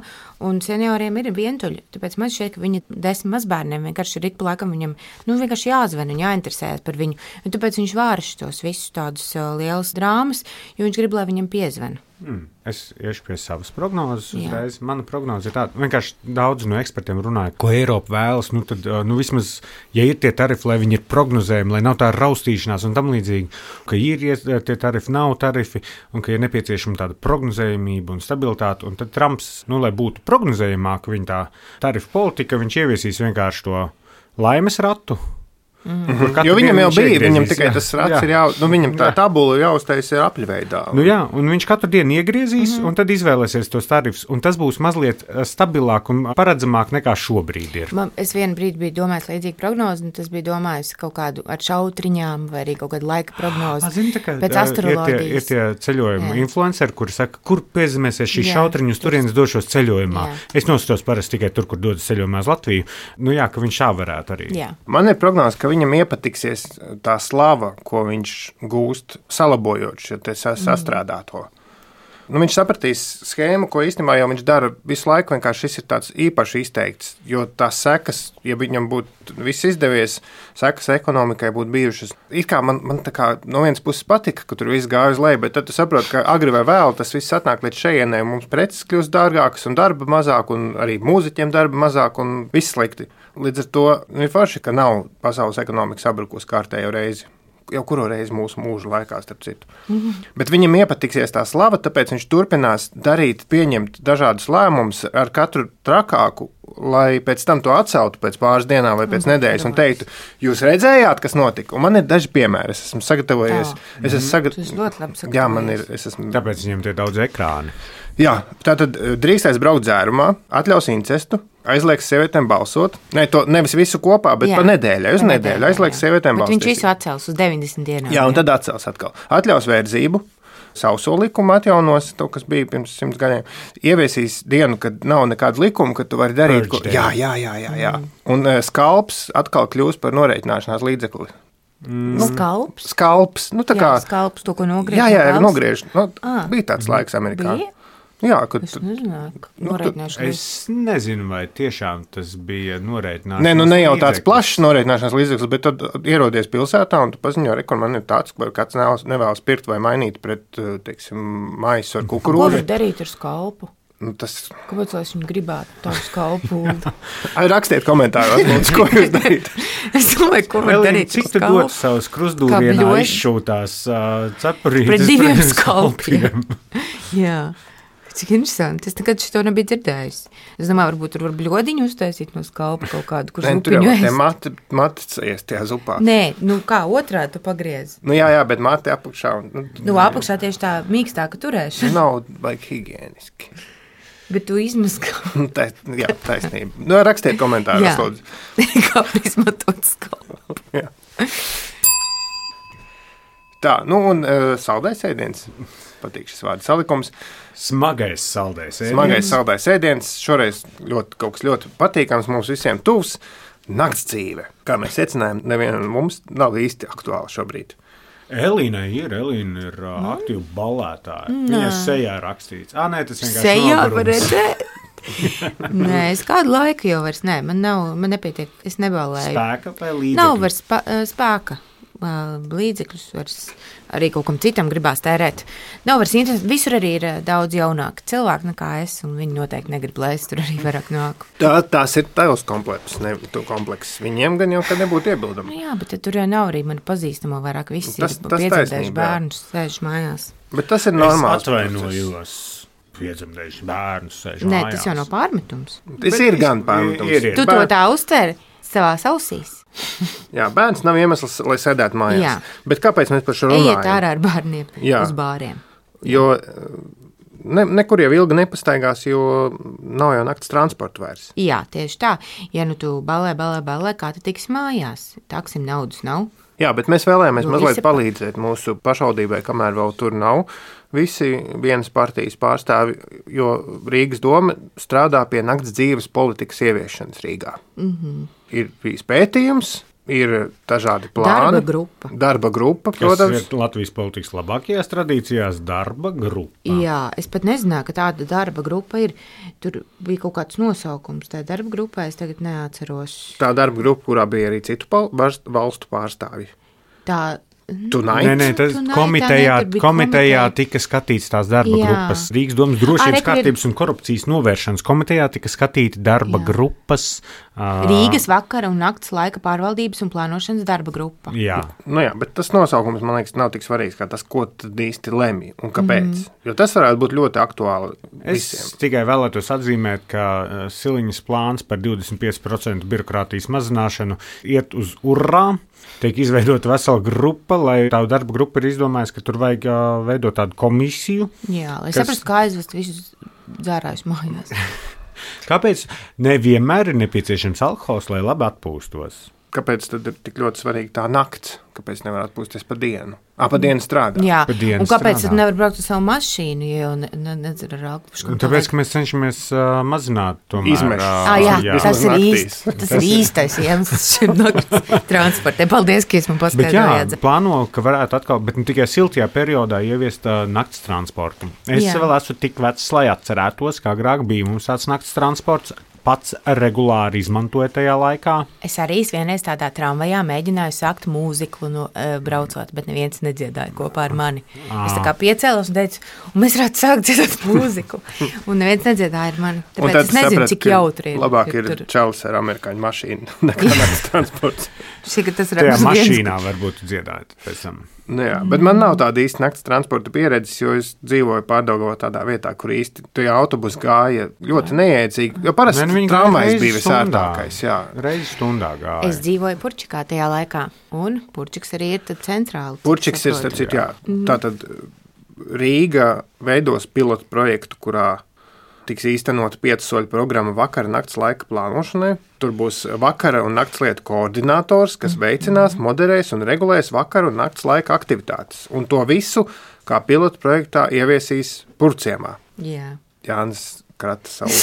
un senioriem ir vientuļi. Tāpēc man šķiet, ka viņa 10 mazbērniem vienkārši ir ik pa laikam viņam vienkārši jāzvana un jāinteresējas par viņu. Un tāpēc viņš vārš tos visus tādus lielas drāmas, jo viņš grib, lai viņam piezvana. Es iešu pie savas prognozes uzreiz. Mana prognoze ir tāda, vienkārši daudz no ekspertiem runāja, ko Eiropa vēlas, tad vismaz, ja ir tie tarifi, lai viņi ir prognozējumi, lai nav tā raustīšanās un tam līdzīgi, ka ir tie tarifi, nav tarifi, un ka ir nepieciešama tāda prognozējumība un stabilitāte, un tad Trumps, lai būtu prognozējumāk viņa tā tarifu politika, viņš ieviesīs vienkārši to laimes ratu. Jo viņam jau bija, viņam tikai tas rats ir viņam tā tabula jāuztais ir apļveidā. Un viņš katru dienu iegriezīs, un tad izvēlēsies tos tarifus, un tas būs mazliet stabilāk un paredzamāk nekā šobrīd ir. Es vienu brīdi biju domājis līdzīgu prognozi, un tas bija domājis kaut kādu ar šautriņām, vai arī kaut kādu laika prognozi. Pēc astroloģijas. Ir tie ceļojuma influenceri, kuri saka, kur piezemēsies šī šautriņu, uz turienes došos ceļojumā. Es noskatos parasti tikai tur, kur dodas ceļojumā uz Latviju. Ka viņš šā varētu arī. Man ir prognoze, ka viņam iepatiksies tā slava, ko viņš gūst, salabojot šo sastrādāto. Viņš sapratīs schēmu, ko īstenībā jau viņš dara visu laiku, vienkārši šis ir tāds īpaši izteikts, jo tās sekas, ja viņam būtu viss izdevies, sekas ekonomikai būtu bijušas. It kā man tā kā no vienas puses patika, ka tur viss gāja uz leju, bet tad tu saproti, ka agri vai vēl tas viss atnāk līdz šejienai, mums preces kļūst dārgākas un darba mazāk, un arī mūziķiem darba mazāk, un viss slikti. Līdz ar to ir forši, ka nav pasaules ekonomika sabrukus kārtējo reizi. Jau kuru reizi mūsu mūža laikā, starp citu. Bet viņam iepatiksies tā slava, tāpēc viņš turpinās pieņemt dažādus lēmumus ar katru trakāku, lai pēc tam to atceltu pēc pāris dienām vai pēc nedēļas un teiktu, jūs redzējāt, kas notika? Un man ir daži piemēri, es esmu sagatavojies. Tas ļoti labi sagatavojies. Jā, man ir. Tāpēc viņam tie daudz ekrāni. Jā, tātad drīkstēs braukt dzērumā, atļaus incestu, aizliegs sievietēm balsot. Nevis visu kopā, bet pa nedēļai, uz nedēļu aizliegs sievietēm balsot. Bet viņš visu atcels uz 90 dienām. Jā, un tad atcels atkal. Atļaus vērtību, sauso likumu atjaunos, to, kas bija pirms 100 gadiem. Ieviesīs dienu, kad nav nekāda likuma, ka tu vari darīt. Jā. Un skalps atkal kļūs par norēķināšanās līdzekli. Skalps, skalps, to, ko nogriež. Jā, nogriež. Bija tāds laiks Amerikā. Bija? Jā, es nezinu, vai tiešām tas bija norēķināšanās līdzeklis. Ne jau tāds plašs norēķināšanās līdzeklis, bet tad ierodies pilsētā un tu paziņo, ka man ir tāds, ka kāds nevēlas pirkt vai mainīt pret, maisu ar kukurūzu. Ko var darīt ar skalpu? Kāpēc es viņu gribētu tādu skalpu? Rakstiet komentāros, ko jūs darīt. Es domāju, ko var darīt ar skalpu. Cik tu dod savus krustdūrienā izšūtās cepurītes pret 2 skalpiem? Jā. Cik interesanti. Es nekad šito nebiju dzirdējusi. Es domāju, varbūt tur var bļodiņu uztaisīt no skalpa kaut kādu, kurš zupiņu ēst. Tur jau matis iest tajā zupā. Nē, kā otrā tu pagriez. Jā, bet mati apakšā. Apakšā tieši tā mīkstāka turēšana. Nav higieniski. Bet tu izmaskā. Jā, taisnība. Rakstiet komentāros, lūdzu. Kā izmantot skalpu. Jā. Tā, un saldais ēdiens. Patīk šis vārdu salikums. Smagais saldais ēdiens. Smagais saldais ēdiens. Šoreiz kaut kas ļoti patīkams, mums visiem tuvs. Nakts dzīve. Kā mēs secinājām, nevienam mums nav īsti aktuāli šobrīd. Elīna ir aktīva ballētāja. Viņas sejā rakstīts. Nē, tas vienkārši sejā var redzēt. Nē, es kādu laiku jau vairs, man nepietiek, es neballēju. Spēka vai līdzekļu? Nav vairs spēka. Līdzekļus vairs arī kaut kam citam gribās tērēt. Nav vairs interesanti. Visur arī ir daudz jaunāki cilvēki nekā es, un viņi noteikti negrib, lai es tur arī vairāk nāku. Tās ir tavs komplekss. Viņiem gan jau kad nebūtu iebildumi. Jā, bet tur jau nav arī mani pazīstamo vairāk. Visi ir piedzemdējuši bērnus, sēž mājās. Bet tas ir normāls. Es atvainojos. Piedzemdējuši bērnus, sēž mājās. Nē, tas jau nav pārmetums. Tas ir gan pārmetums. Tu to tā uztver savās ausīs. Jā, bērns nav iemesls, lai sēdētu mājās. Jā. Bet kāpēc mēs par šo runājam? Ejiet ārā ar bērniem uz bāriem. Jo nekur jau ilgi nepastaigās, jo nav jau nakts transporta vairs. Jā, tieši tā. Ja nu tu ballē, kā tu tiksi mājās? Taksim naudas nav. Jā, bet mēs vēlējāmies Nu, mazliet visi palīdzēt mūsu pašvaldībai, kamēr vēl tur nav visi vienas partijas pārstāvi, jo Rīgas doma strādā pie nakts dzīves politikas ieviešanas Rīgā. Ir bijis pētījums, ir dažādi plāni. Darba grupa, protams. Tas ir Latvijas politikas labākajās tradīcijās darba grupa. Jā, es pat nezināju, ka tāda darba grupa ir. Tur bija kaut kāds nosaukums. Tā darba grupā es tagad neatceros. Tā darba grupa, kurā bija arī citu valstu pārstāvji. Tā Nē, tas komitejā tika skatīts tās darba grupas. Rīgas domas drošības kārtības un korupcijas novēršanas komitejā tika skatīti darba grupas. Rīgas vakara un nakts laika pārvaldības un plānošanas darba grupa. Jā. Jā, bet tas nosaukums, man liekas, nav tik svarīgs, kā tas, ko tad īsti lemj un kāpēc. Jo tas varētu būt ļoti aktuāli visiem. Es tikai vēlētos atzīmēt, ka Siliņas plāns par 25% birokrātijas mazināšanu iet uz urrā. Tiek izveidota vesela grupa, lai tā darba grupa ir izdomājusi, ka tur vajag veidot tādu komisiju. Jā, lai saprastu, kā aizvest visus dzērājus mājās. Kāpēc nevienmēr ir nepieciešams alkohols, lai labi atpūstos? Kāpēc tad ir tik ļoti svarīga tā nakts? Kāpēc nevar atpūsties pa dienu? Pa dienu strādā. Jā, un kāpēc tad nevar braukt ar savu mašīnu, ja jau nedzer ar alkoholu? Tāpēc, ka mēs cenšamies mazināt tomēr izmešus. Tas ir īstais iemesls šim nakts transportē. Paldies, ka jūs man paskaidrojāt. Plāno, ka varētu atkal, bet ne tikai siltajā periodā ieviest nakts transportu. Es vēl esmu tik vecs, lai atcerētos, kā agrāk bija mums tāds nakts transports. Pats regulāri izmantoja tajā laikā. Es arī vienreiz tādā tramvajā mēģināju sākt mūziklu braucot, bet neviens nedziedāja kopā ar mani. Es tā kā piecēlos un teicu, un mēs varētu sākt dziedāt mūziku. Un neviens nedziedāja ar mani. Tāpēc es nezinu, cik jautri ir. Labāk ir čalis ar amerikāņu mašīnu nekā nakts transports. Tajā mašīnā varbūt dziedāt pēc tam. Jā, bet man nav tāda īsta nakts transporta pieredzes, jo es dzīvoju Pārdaugavā tādā vietā, kur īsti tie autobusi gāja ļoti neiedzīgi. Jo parasti tramvajs bija visērtākais. Reizi stundā gāja. Es dzīvoju Purčikā tajā laikā, un Purčiks arī ir tad centrāli. Purčiks ir, starp citu, tātad Rīga veidos pilotu projektu, kurā tiks īstenota 5 soļu programma vakara nakts laika plānošanai. Tur būs vakara un nakts lietu koordinators, kas veicinās, moderēs un regulēs vakara un nakts laika aktivitātes. Un to visu, kā pilotu projektā, ieviesīs Purciemā. Jā. Jānis krata savu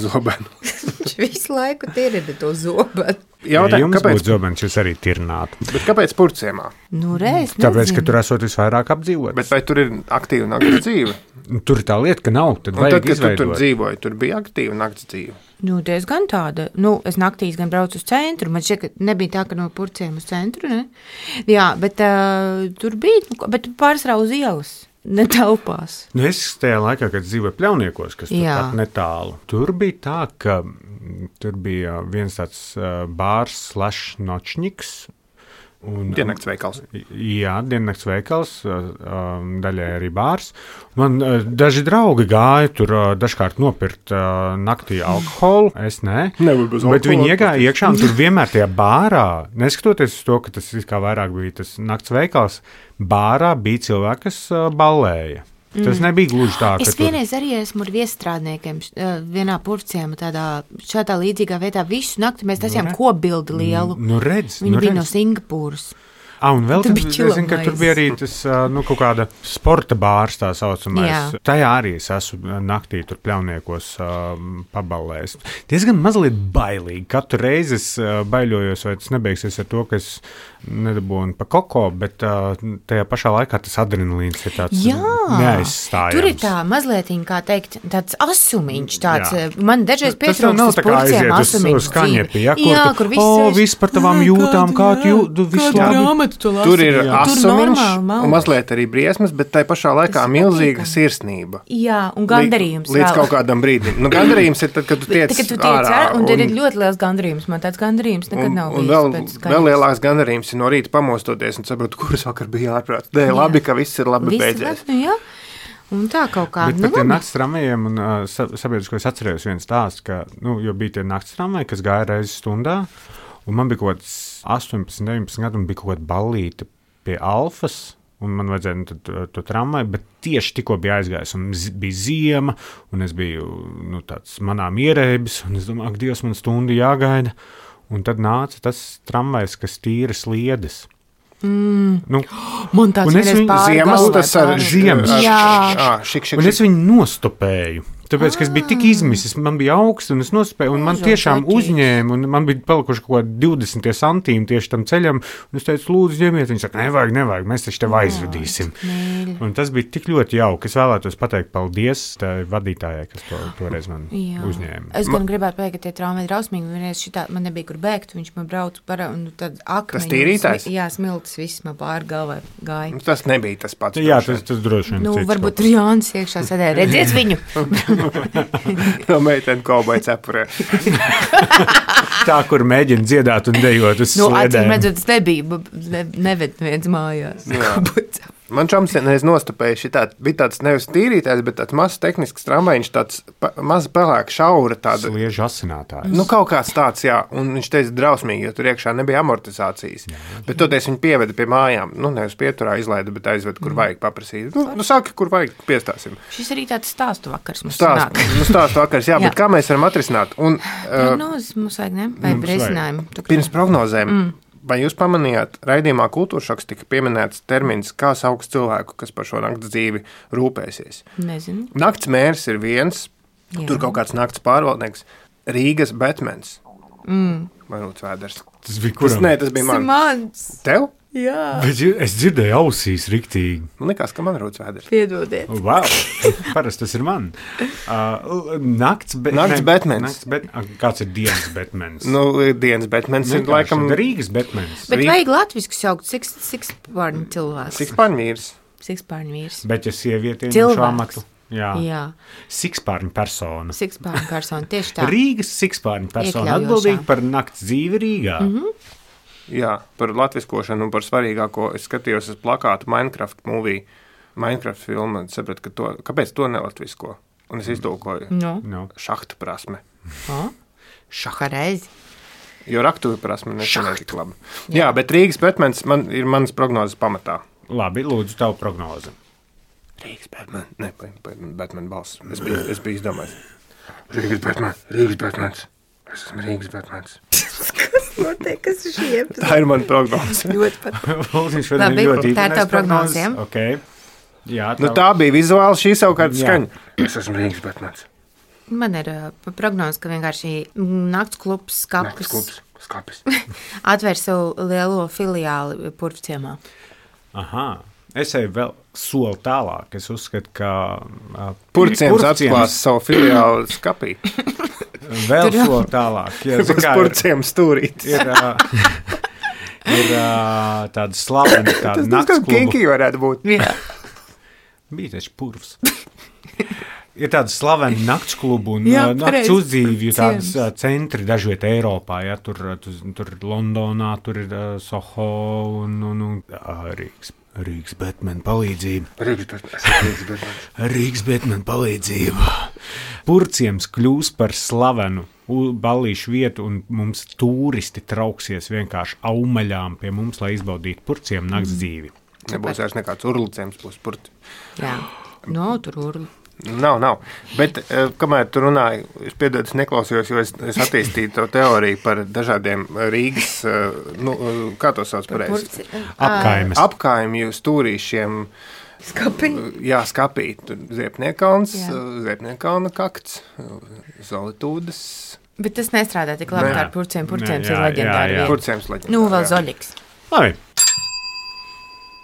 zobenu. Viņš visu laiku tirida to zobenu. Jums būtu zobens, jūs arī tirnātu. Bet kāpēc Purciemā? Tāpēc, ka tur esot visvairāk apdzīvots. Bet vai tur ir aktīva nakts dzīve? Tur ir tā lieta, ka nav. Tad vajag izveidot. Kad tu tur dzīvoji, tur bija aktīva nakts dzīve. Diezgan tāda. Es naktīs gan braucu uz centru. Man šķiet, ka nebija tā, ka no Purciem uz centru, ne? Jā, bet tur bija, bet pārsvarā uz ielas. Netelpās. Es tajā laikā, kad dzīvoju Pļauniekos, kas tur pat netālu, tur bija tā, ka tur bija viens tāds bārs / nočņiks. Diennakts veikals. Jā, diennakts veikals, daļai arī bārs. Man daži draugi gāja tur dažkārt nopirkt naktī alkoholu, es ne. Bet viņi iegāja iekšā un tur vienmēr tajā bārā, neskatoties uz to, ka tas kā vairāk bija tas nakts veikals, bārā bija cilvēki, kas ballēja. Tas nebija gluži tā, ka es vienreiz arī esmu ar viestrādniekiem vienā Purciemā šādā līdzīgā veidā visu nakti mēs tasījām kopbildi lielu. Viņi bija no Singapūras. Un vēl tur bija arī tas kaut kāda sporta bārs, tā saucamais. Tajā arī es esmu naktī tur Pļauniekos paballējis. Diezgan mazliet bailīgi. Katru reizi es baiļojos, vai tas nebeigsies ar to, ka es nedabūnu pa koko, bet tajā pašā laikā tas adrenalīns ir tāds neaizstājams. Tur ir tā mazliet, kā teikt, tāds asumiņš. Man dažreiz pietrūkst uz Purciem asumiņš dzīve. Kur viss par tavām jūtām, kā tu visu labi. Tur ir asumiņš un mazliet arī briesmas, bet tai pašā laikā milzīga sirsnība. Jā, un gandarījums līdz kaut kādam brīdim. Gandarījums ir tad, kad tu tiec ārā. Un tad ir ļoti liels gandarījums. Man tāds gandarījums nekad nav bijis. Un vēl lielāks gandarījums ir no rīta pamostoties un saprot, kuras vakar bija ārprāts. Labi, ka viss ir labi beidzies. Un tā kaut kā. Bet par tiem nakts tramvajiem un sabiedrisko es atcerējos viens stāsts, ka, jo bija tie nakts tramvaji, kas gāja reizi stundā, un man bija kaut kāds 18, 19 gadu un bija kaut kāda ballīte pie Alfas, un man vajadzēja to tramvaju, bet tieši tikko bija aizgājis, un bija ziema, un es biju tāds manām ierēbis, un es domāju, ak, Dievs, man stundu jāgaida, un tad nāca tas tramvajs, kas tīra sliedes. Man tāds vienreiz ziemas, tas ar ziemas. Šik. Un es viņu nostopēju. Tāpēc, ka es biju tik izmisis, man bija augsts, un es nospēju, un man tiešām uzņēma, un man bija palikuši kaut kādi 20 santīmi tieši tam ceļam, un es teicu, lūdzu, ņemiet, viņi saka, nevajag, mēs taču tev aizvedīsim. Un tas bija tik ļoti jauki, es vēlētos pateikt paldies tā vadītājai, kas toreiz man uzņēma. Es gan gribētu pateikt, ka tie traumi ir drausmīgi, vienreiz šitā, man nebija kur bēgt, viņš man brauca parā, un tad akmeņi. Tas tīrītājs? Jā, smiltis viss man pāri galvai gāja. Tas nebija tas pats. Jā, tas droši vien. Varbūt tur Jānis iekšā sēdēja, redziet viņu. No meiteni kauboja cepurē. Tā, kur mēģina dziedāt un dejot uz sliedēm. Acīm redzot, tas nebija, neved viens mājās. Man čoms reiz nostupēja bija tāds nevis tīrītājs, bet tāds mazs tehnisks tramvajiņš, tāds maz pelēka šaura tāda. Sliežu asinātājs. Kaut kāds tāds, jā, un viņš teica drausmīgi, jo tur iekšā nebija amortizācijas. Bet toties viņu pieveda pie mājām, nevis pieturā izlaida, bet aizved, kur vajag paprasīt. Saki, kur vajag, piestāsim. Šis arī tāds stāstu vakars mums sanāk. Stāstu vakars, jā, bet kā mēs varam atrisināt? Prognozes mums vajag, ne? Vai risinājumu? Pirms prognozēm. Vai jūs pamanījāt, raidījumā Kultūršoks tika pieminēts termins, kā sauc cilvēku, kas par šo nakts dzīvi rūpēsies? Nezinu. Nakts mērs ir viens, tur kaut kāds nakts pārvaldnieks, Rīgas Betmens. Vai Vēders? Tas bija kuram? Tas bija mans. Tev? Jā. Bet es dzirdēju ausīs riktīgi. Man likās, ka man Rūts Vēders. Piedodiet. Wow, parasti tas ir man. Nakts Betmens. Kāds ir dienas Betmens? Dienas Betmens ir laikam Rīgas Betmens. Bet vajag latvisku saukt sikspārņu cilvēks. Sikspārņu vīrs. Bet ja sievieti ieņem šo amatu. Jā. Sikspārņu persona. Tieši tā. Rīgas sikspārņu persona atbildīga par nakts dzīvi Rīgā. Jā, par latviskošanu un par svarīgāko. Es skatījos uz plakātu Minecraft movie, Minecraft filmu, un sapratu, kāpēc to nelatvisko. Un es iztulkoju. Šahtu prasme. Šahareizi. Jo raktuvi prasme nesanāk tik labi. Jā, bet Rīgas Betmens ir manas prognozes pamatā. Labi, lūdzu, tavu prognozi. Rīgas Betmens. Ne, Betmen balss. Es biju izdomājis. Rīgas Betmens. Es esmu Rīgas Betmens. Kas notiek, kas ir šie? Tā ir mana prognoze. Ļoti pat. Labi, tā ir tava prognoze, ja? Okay. Jā, tā bija vizuāli, šī savukārt skaņa. Es esmu Rīgas Betmens. Man ir prognoze, ka vienkārši nakts klubs Skapis. Atver savu lielo filiāli Purvciemā. Aha. Es eju vēl soli tālāk. Es uzskatu, ka Purvciems atklās savu filiāli Skapī. Vēl soli tālāk. Uz Purvciems stūrīt. Ir tāda slavena, tāda nakts kluba. Tas kinki varētu būt. Jā. Bija taču Purvs. Ir tāda slavena nakts klubu un nakts uzdzīvju tādas centri dažviet Eiropā. Ja, tur Londonā, tur ir Soho un Rīgas Betmena palīdzība. Rīgas Betmena palīdzība. Purvciems kļūs par slavenu ballīšu vietu, un mums turisti trauksies vienkārši aumaļām pie mums, lai izbaudītu Purvciemu nakts dzīvi. Nebūs vairs nekāds urliciems, būs Purvci. Jā, tur urli. Nav. Bet, kamēr tu runāji, es piedodu, es neklausījos, jo es attīstīju to teoriju par dažādiem Rīgas, kā to sauc pareizi? Apkaimju stūrīšiem. Skapī? Jā, Skapī. Ziepniekalns, Ziepniekalna kakts, Zolitūdas. Bet tas nestrādā tik labi kā ar Purvciem. Purvciems ir leģendāri vieta. Purvciems leģendāri. Vēl Zoļiks. Labi.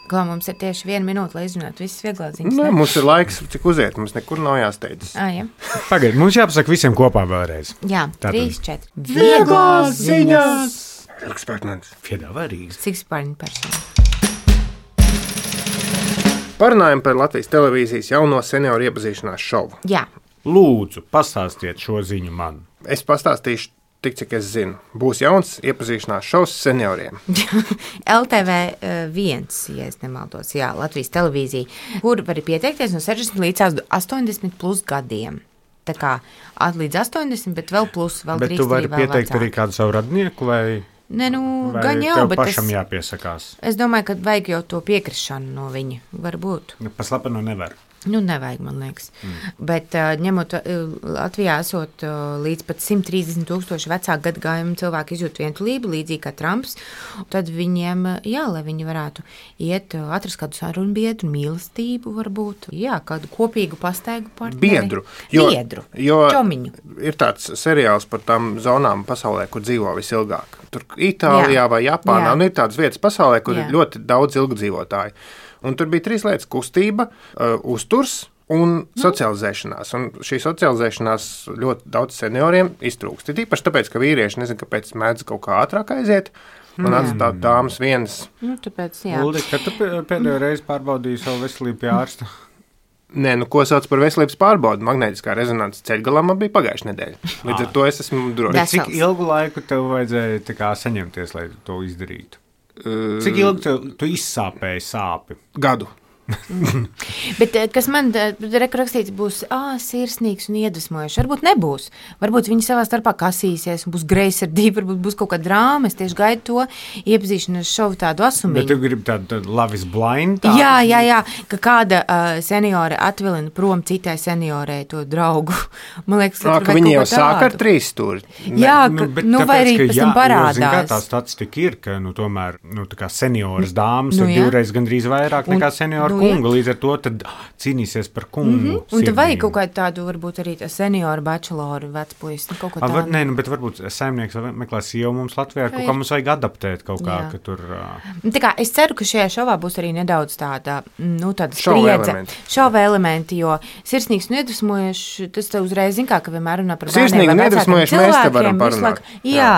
Kā mums ir tieši 1 minūte, lai izrunātu visas vieglās ziņas? Nē, mums ir laiks, cik uziet, mums nekur nav jāsteidzas. Jā. Pagaid, mums jāpasaka visiem kopā vēlreiz. Jā, 3, 4. Vieglās ziņas! Rīgas Betmens. Piedāvā Rīgas. Sikspārņu persona. Parunājam par Latvijas televīzijas jauno senioru iepazīšanās šovu. Jā. Lūdzu, pastāstiet šo ziņu man. Es pastāstīšu tik, cik es zinu. Būs jauns iepazīšanās šovs senioriem. LTV1, ja es nemaldos, jā, Latvijas televīzija, kur var pieteikties no 60 līdz 80 plus gadiem. Tā kā līdz 80, bet vēl plus, vēl bet drīkst tu vari arī vēl pieteikt vecāki. arī kādu savu radnieku vai... Ne, nu, Vai gan jau, tev bet pašam jāpiesakās? es domāju, ka vajag jau to piekrišanu no viņa. Varbūt. Pa slepenu nevar. Nu, nevajag, man liekas. Bet ņemot Latvijā esot līdz pat 130,000 vecāku gadagājumu cilvēku izjūt vientulību, līdzīgi kā Trumps, tad viņiem, jā, lai viņi varētu iet, atrast kādu sarunbiedru, mīlestību varbūt, jā, kādu kopīgu pastaigu partneri. Biedru. Čomiņu. Ir tāds seriāls par tām zonām pasaulē, kur dzīvo visilgāk. Tur Itālijā vai Japānā, un ir tādas vietas pasaulē, kur ir ļoti daudz ilgdzīvotāju. Un tur bija 3 lietas - kustība, uzturs un socializēšanās. Un šī socializēšanās ļoti daudz senioriem iztrūkst. Ir īpaši tāpēc, ka vīrieši nezinu, kāpēc mēdz kaut kā ātrāk aiziet un atstāt dāmas vienas. Nu, tāpēc, jā. Uldi, kad tu pēdējo reizi pārbaudīji savu veselību pie ārsta? Nē, nu, ko sauc par veselības pārbaudi? Magnētiskā rezonances ceļgalā man bija pagājušā nedēļa. Līdz ar to es esmu drošs. Cik ilgu laiku tev vajadzēja tā kā saņemties, lai to izdarītu? Cik ilgi tu izsāpēji sāpi? Gadu. Bet kas man rakstīts būs sirsnīgs un iedvesmojošs. Varbūt nebūs. Varbūt viņi savā starpā kasīsies, būs greizsirdība, varbūt būs kaut kāda drāma. Es tieši gaidu to iepazīšanos šovu tādu asumiņu. Bet tu gribi tādu Love is Blind? Jā, ka kāda seniore atvilina prom citai seniorei to draugu. Man liekas, ka viņi jau sāk ar 3 stūri. Jā, vai arī pēc tam parādās. Kā tā statistika ir, ka tomēr tā kā senioras dāmas ir divreiz gandrīz vairāk nekā senioru kunga, līdz ar to tad cīnīsies par kungu. Un tad vajag kaut kādu tādu, varbūt arī senioru bacheloru vecpuisi, kaut ko tādu. Nē, bet varbūt saimnieks meklē sievu mums Latvijā, kaut kā mums vajag adaptēt kaut kā, ka tur... Tā kā es ceru, ka šajā šovā būs arī nedaudz tāda spriedze. Šova elementi, jo sirsnīgs un iedvesmojošs, tas te uzreiz zin kā, ka vienmēr runā par bērniem vai vecākiem cilvēkiem. Jā,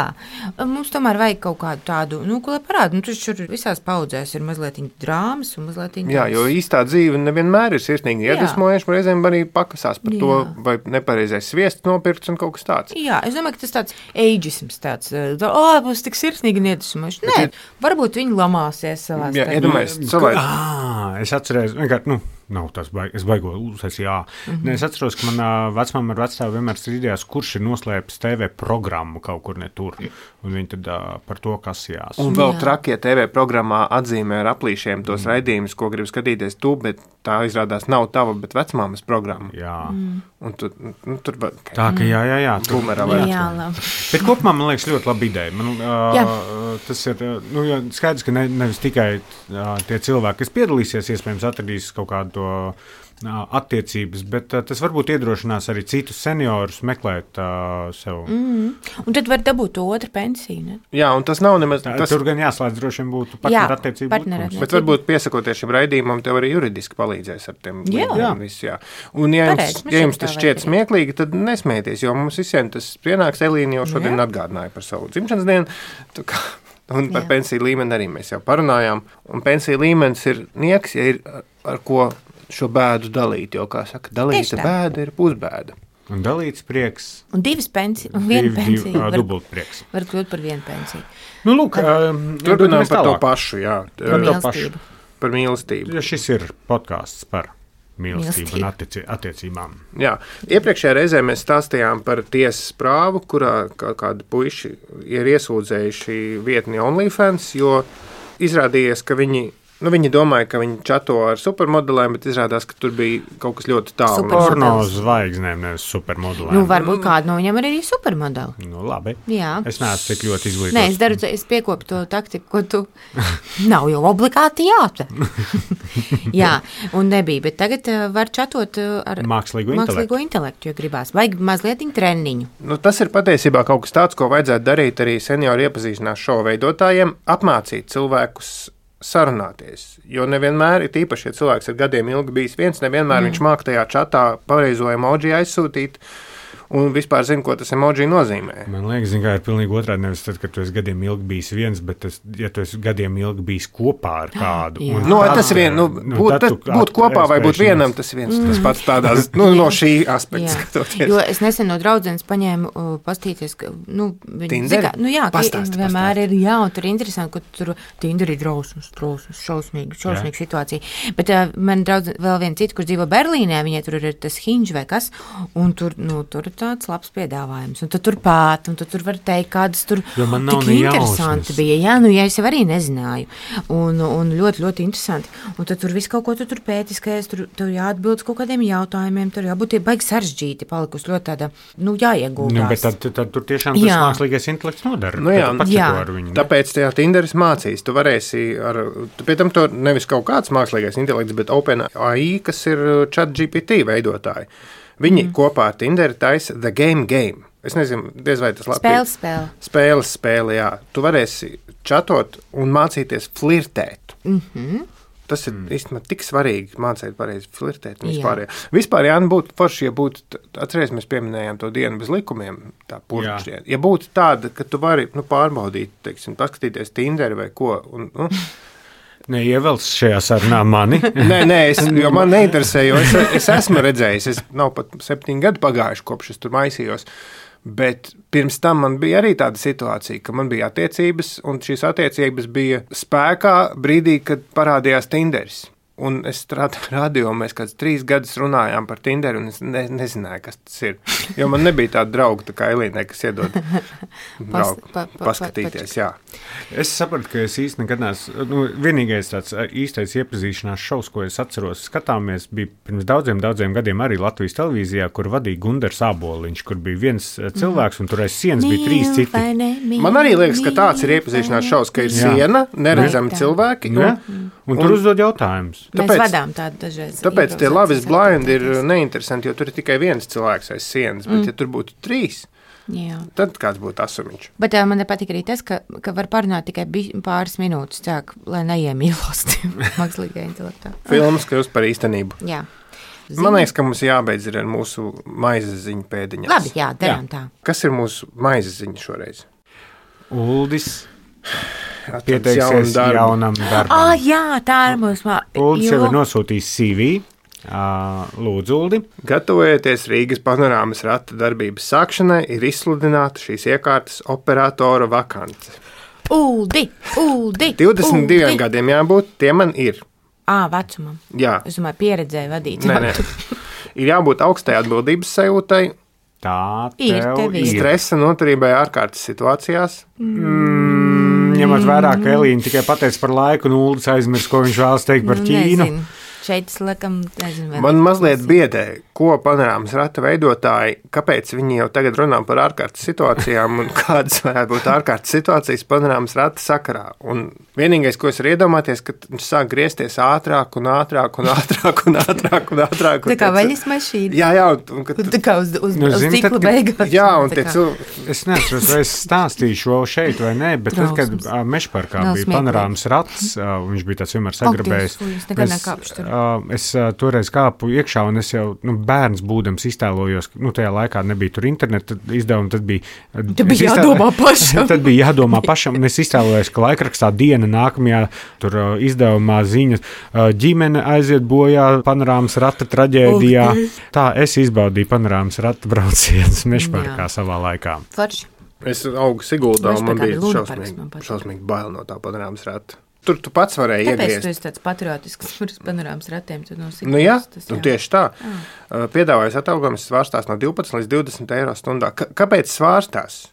mums tomēr vajag kaut kādu tādu, ko lai parāda. Tur visās paudzēs ir mazliet drāmas un mazliet jā, jo īstā dzīve nevienmēr ir sirsnīgi iedvesmojoša, reizēm arī pakasās par to, vai nepareizais sviests nopirkts un kaut kas tāds. Jā, es domāju, ka tas tāds eidžisms tāds, būs tik sirsnīgi un iedvesmojoši. Nē, varbūt viņi lamāsies savā starpā. Jā, iedomājies, cilvēki. Es atcerēju, vienkārši, nav tas es baigo uzsēs, jā. Es atceros, ka manā vecmāma ar vecstāvu vienmēr strīdījās, kurš ir noslēpis TV programmu kaut kur ne tur. Un viņi tad par to kasījās. Un vēl trakie TV programmā atzīmē ar aplīšiem tos raidījumus, ko grib skatīties tu, bet tā izrādās nav tava, bet vecmāmas programma. Jā. Un tur tā, ka jā. Bumerā Bet kopumā, man liekas, ļoti laba ideja. Tas ir, skaidrs, ka nevis tikai tie cilvēki, kas piedalīsies, iespējams atradīs kaut kādu attiecības, bet tas varbūt iedrošinās arī citus seniorus meklēt sev. Un tad var dabūt to otru pensiju, ne? Jā, un tas nav nemaz... Tur gan jāslēdz droši vien būtu partnerattiecību. Bet varbūt piesakoties šim raidījumam, tev arī juridiski palīdzēs ar tiem. Jā. Un ja jums tas šķiet smieklīgi, tad nesmieties, jo mums visiem tas pienāks. Elīna jau šodien atgādināja par savu dzimšanas dienu. Un par pensiju līmeni arī mēs jau parunājām. Un pensiju līmenis ir nieks, ja ir ar ko šo bēdu dalīt, jo, kā saka, dalīta bēda ir pusbēda. Un dalīts prieks. Un 2 pensijas, un 1 pensija. Dubult prieks. Var kļūt par 1 pensiju. Lūk, turpinām par to pašu, jā. Par mīlestību. Par mīlestību. Ja šis ir podcasts par mīlestību un attiecībām. Jā, iepriekšējā reizē mēs stāstījām par tiesas prāvu, kurā kādi puiši ir iesūdzējuši vietni OnlyFans, jo izrādījies, ka viņi domāja, ka viņi čato ar supermodelēm, bet izrādās, ka tur bija kaut kas ļoti tālu. Porno zvaigznēm, nevis supermodelēm. Varbūt kādu no viņiem arī supermodeli. Labi. Jā. Es neesmu tik ļoti izglītots. Nē, es piekopu to taktiku, ko tu nav jau obligāti jāta. Jā, un nebija, bet tagad var čatot ar mākslīgo intelektu, jo gribās. Vajag mazliet treniņu. Tas ir patiesībā kaut kas tāds, ko vajadzētu darīt arī senioru iepazīšanās šovu veidotājiem, apmācīt cilvēkus sarunāties, jo nevienmēr ir īpaši, ja cilvēks ir gadiem ilgi bijis viens, nevienmēr viņš māk tajā čatā pareizo emoji aizsūtīt un vispār zina, ko tas emoji nozīmē. Man liekas, ka ir pilnīgi otrādi. Nevis tad, kad tu esi gadiem ilgi bijis viens, bet ja tu esi gadiem ilgi bijis kopā ar kādu. Tas ir būt kopā vai būt vienam, tas ir viens tas pats tādās, no šī aspekta skatoties. Jo es nesen no draudzenes paņēmu pastīties, ka, Tinderi? Vienmēr ir, un tur ir interesanti, ka tur Tinderi drausmas, šausmīga situācija. Bet man draudzene vēl viena cita, kur dzīvo Berlīnē, viņai tur ir tas Hinge vai kas, un tur tāds labs piedāvājums. Un tu tur pāt, un tu tur var teikt, kādas tur tik interesanti bija. Jā, nu, ja es jau arī nezināju. Un ļoti, ļoti interesanti. Un tad tur viss kaut ko tu tur pētiskais, tur jāatbild kaut kādiem jautājumiem, tur jābūt baigi sarežģīti, palikusi ļoti tāda, jāiegūtās. Nu, bet tad tur tiešām tas mākslīgais intelekts nodara. Jā. Tāpēc tajā Tinderis mācīs. Tu varēsi pie tam to nevis kaut kāds mākslīgais intelekts, bet OpenAI, kas ir ChatGPT veidotāji. Viņi kopā ar Tinderi taisa The Game. Es nezinu, diez vai tas labi. Spēle, jā. Tu varēsi čatot un mācīties flirtēt. Tas ir īstenībā tik svarīgi mācīt pareizi flirtēt. Vispār, Jāni, būtu forši, ja būtu, atceries, mēs pieminējām to dienu bez likumiem, tā purkšķiena. Ja būtu tāda, ka tu vari pārbaudīt, teiksim, paskatīties Tinderi vai ko. Neievelc šajā sarunā mani. Nē, jo man neinteresē, jo es esmu redzējis, nav pat 7 gadi pagājuši, kopš es tur maisījos. Bet pirms tam man bija arī tāda situācija, ka man bija attiecības, un šīs attiecības bija spēkā brīdī, kad parādījās Tinderis. Un es strādāju radio, mēs kāds 3 gadus runājām par Tinderi, un es nezināju, kas tas ir. Jo man nebija tāda drauga, tā kā Elīnai, kas iedod paskatīties. Jā. Es sapratu, ka es īsti nekad neesmu, vienīgais tāds īstais iepazīšanās šovs, ko es atceros, skatāmies, bija pirms daudziem gadiem arī Latvijas televīzijā, kur vadīja Gundars Āboliņš, kur bija viens cilvēks, un tur aiz sienas bija 3 citi. Man arī liekas, ka tāds ir iepazīšanās šovs, ka ir siena, neredzami cilvēki. Un tur uzdod jautājumus. Mēs vadām tādu dažreiz. Tāpēc tie Love is Blind ir neinteresanti, jo tur ir tikai viens cilvēks aiz sienas, bet ja tur būtu 3, tad kāds būtu asumiņš. Bet man patīk arī tas, ka var parunāt tikai pāris minūtes, lai neiemīlos mākslīgajā intelektā. Filmas kļūst par īstenību. Jā. Man liekas, ka mums jābeidz ar mūsu maizes ziņu pēdiņās. Labi, darām tā. Kas ir mūsu maizes ziņa šoreiz? Uldis pieteiksies jaunam darbam. Jā, tā ir mūsu Uldis jau ir nosūtījis CV. Lūdzu, Uldi. Gatavojieties Rīgas panorāmas rata darbības sākšanai, ir izsludināta šīs iekārtas operatora vakance. Uldi! 22 gadiem jābūt, tie man ir. Vecumam. Jā. Es domāju, pieredzēju vadīt. Nē. Ir jābūt augstai atbildības sajūtai. Tā tev ir. Stresa noturībai ārkārtas situācijās. Ņemot vērā, ka Elīna tikai pateica par laiku, un Uldis aizmirs, ko viņš vēlas teikt par Ķīnu. Nezinu. Šeit es laikam nezinu. Man mazliet biedē, ko panorāmas rata veidotāji, kāpēc viņi jau tagad runā par ārkārtas situācijām un kādas varētu būt ārkārtas situācijas panorāmas rata sakarā. Un vienīgais, ko es varu iedomāties, ka viņš sāk griezties ātrāk. Tā kā veļas mašīna. Jā. Tā kā uz ciklu beigās. Jā, un tie Es neatceros, vai es stāstīju šo šeit vai nē, bet tad, kad Mežparkā bija panorāmas rats, viņš bija tāds vienmēr sagrabējis. Es toreiz kāpu iekšā, un es jau bērns būdams iztēlojos, tajā laikā nebija tur interneta izdevuma, tad bija jādomā pašam. Tad bija jādomā pašam, un es iztēlojos, ka laikrakstā diena nākamajā tur izdevumā ziņas ģimene aiziet bojā panorāmas rata traģēdijā. Tā es izbaudīju panorāmas rata braucienus Mežparkā savā laikā. Forši. Es augu Siguldā, un man bija šausmīgi bail no tā panorāmas rata. Tur tu pats varēji iegriezt. Tāpēc tu esi tāds patriotisks par panorāmas ratiem. Jā, tieši tā. Piedāvājas atalgojums svārstās no 12 līdz 20 eiro stundā. Kāpēc svārstās?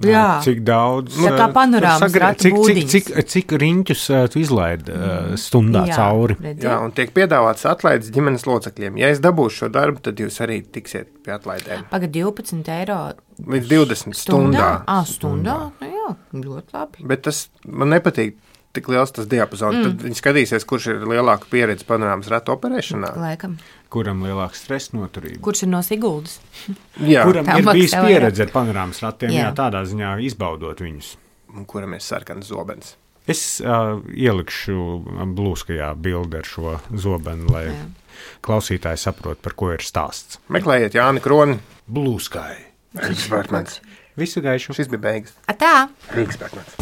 Jā. Cik daudz? Tā kā panorāmas rata būdiņas. Cik riņķus tu izlaid stundā cauri? Jā, un tiek piedāvāts atlaides ģimenes locekļiem. Ja es dabūšu šo darbu, tad jūs arī tiksiet pie atlaidēm. Pagad 12 eiro līdz 20 stundā. Stundā? Jā, ļoti labi. Bet tas man nepatīk. Tik liels tas diapazons. Tad viņi skatīsies, kurš ir lielāka pieredze panorāmas ratu operēšanā. Laikam. Kuram lielāka stresa noturība? Kurš ir no Siguldas? Jā. Kuram ir bijis pieredze ar panorāmas ratiem, jā, tādā ziņā izbaudot viņus. Un kuram ir sarkans zobens. Es ielikšu blūskajā bildi ar šo zobenu, lai klausītāji saprot, par ko ir stāsts. Meklējiet Jāni Kroni. Blūskai. Rīgas Bergmans. Visu gaišu. Šis bija beigas. Tā. Rīgas Bergmans.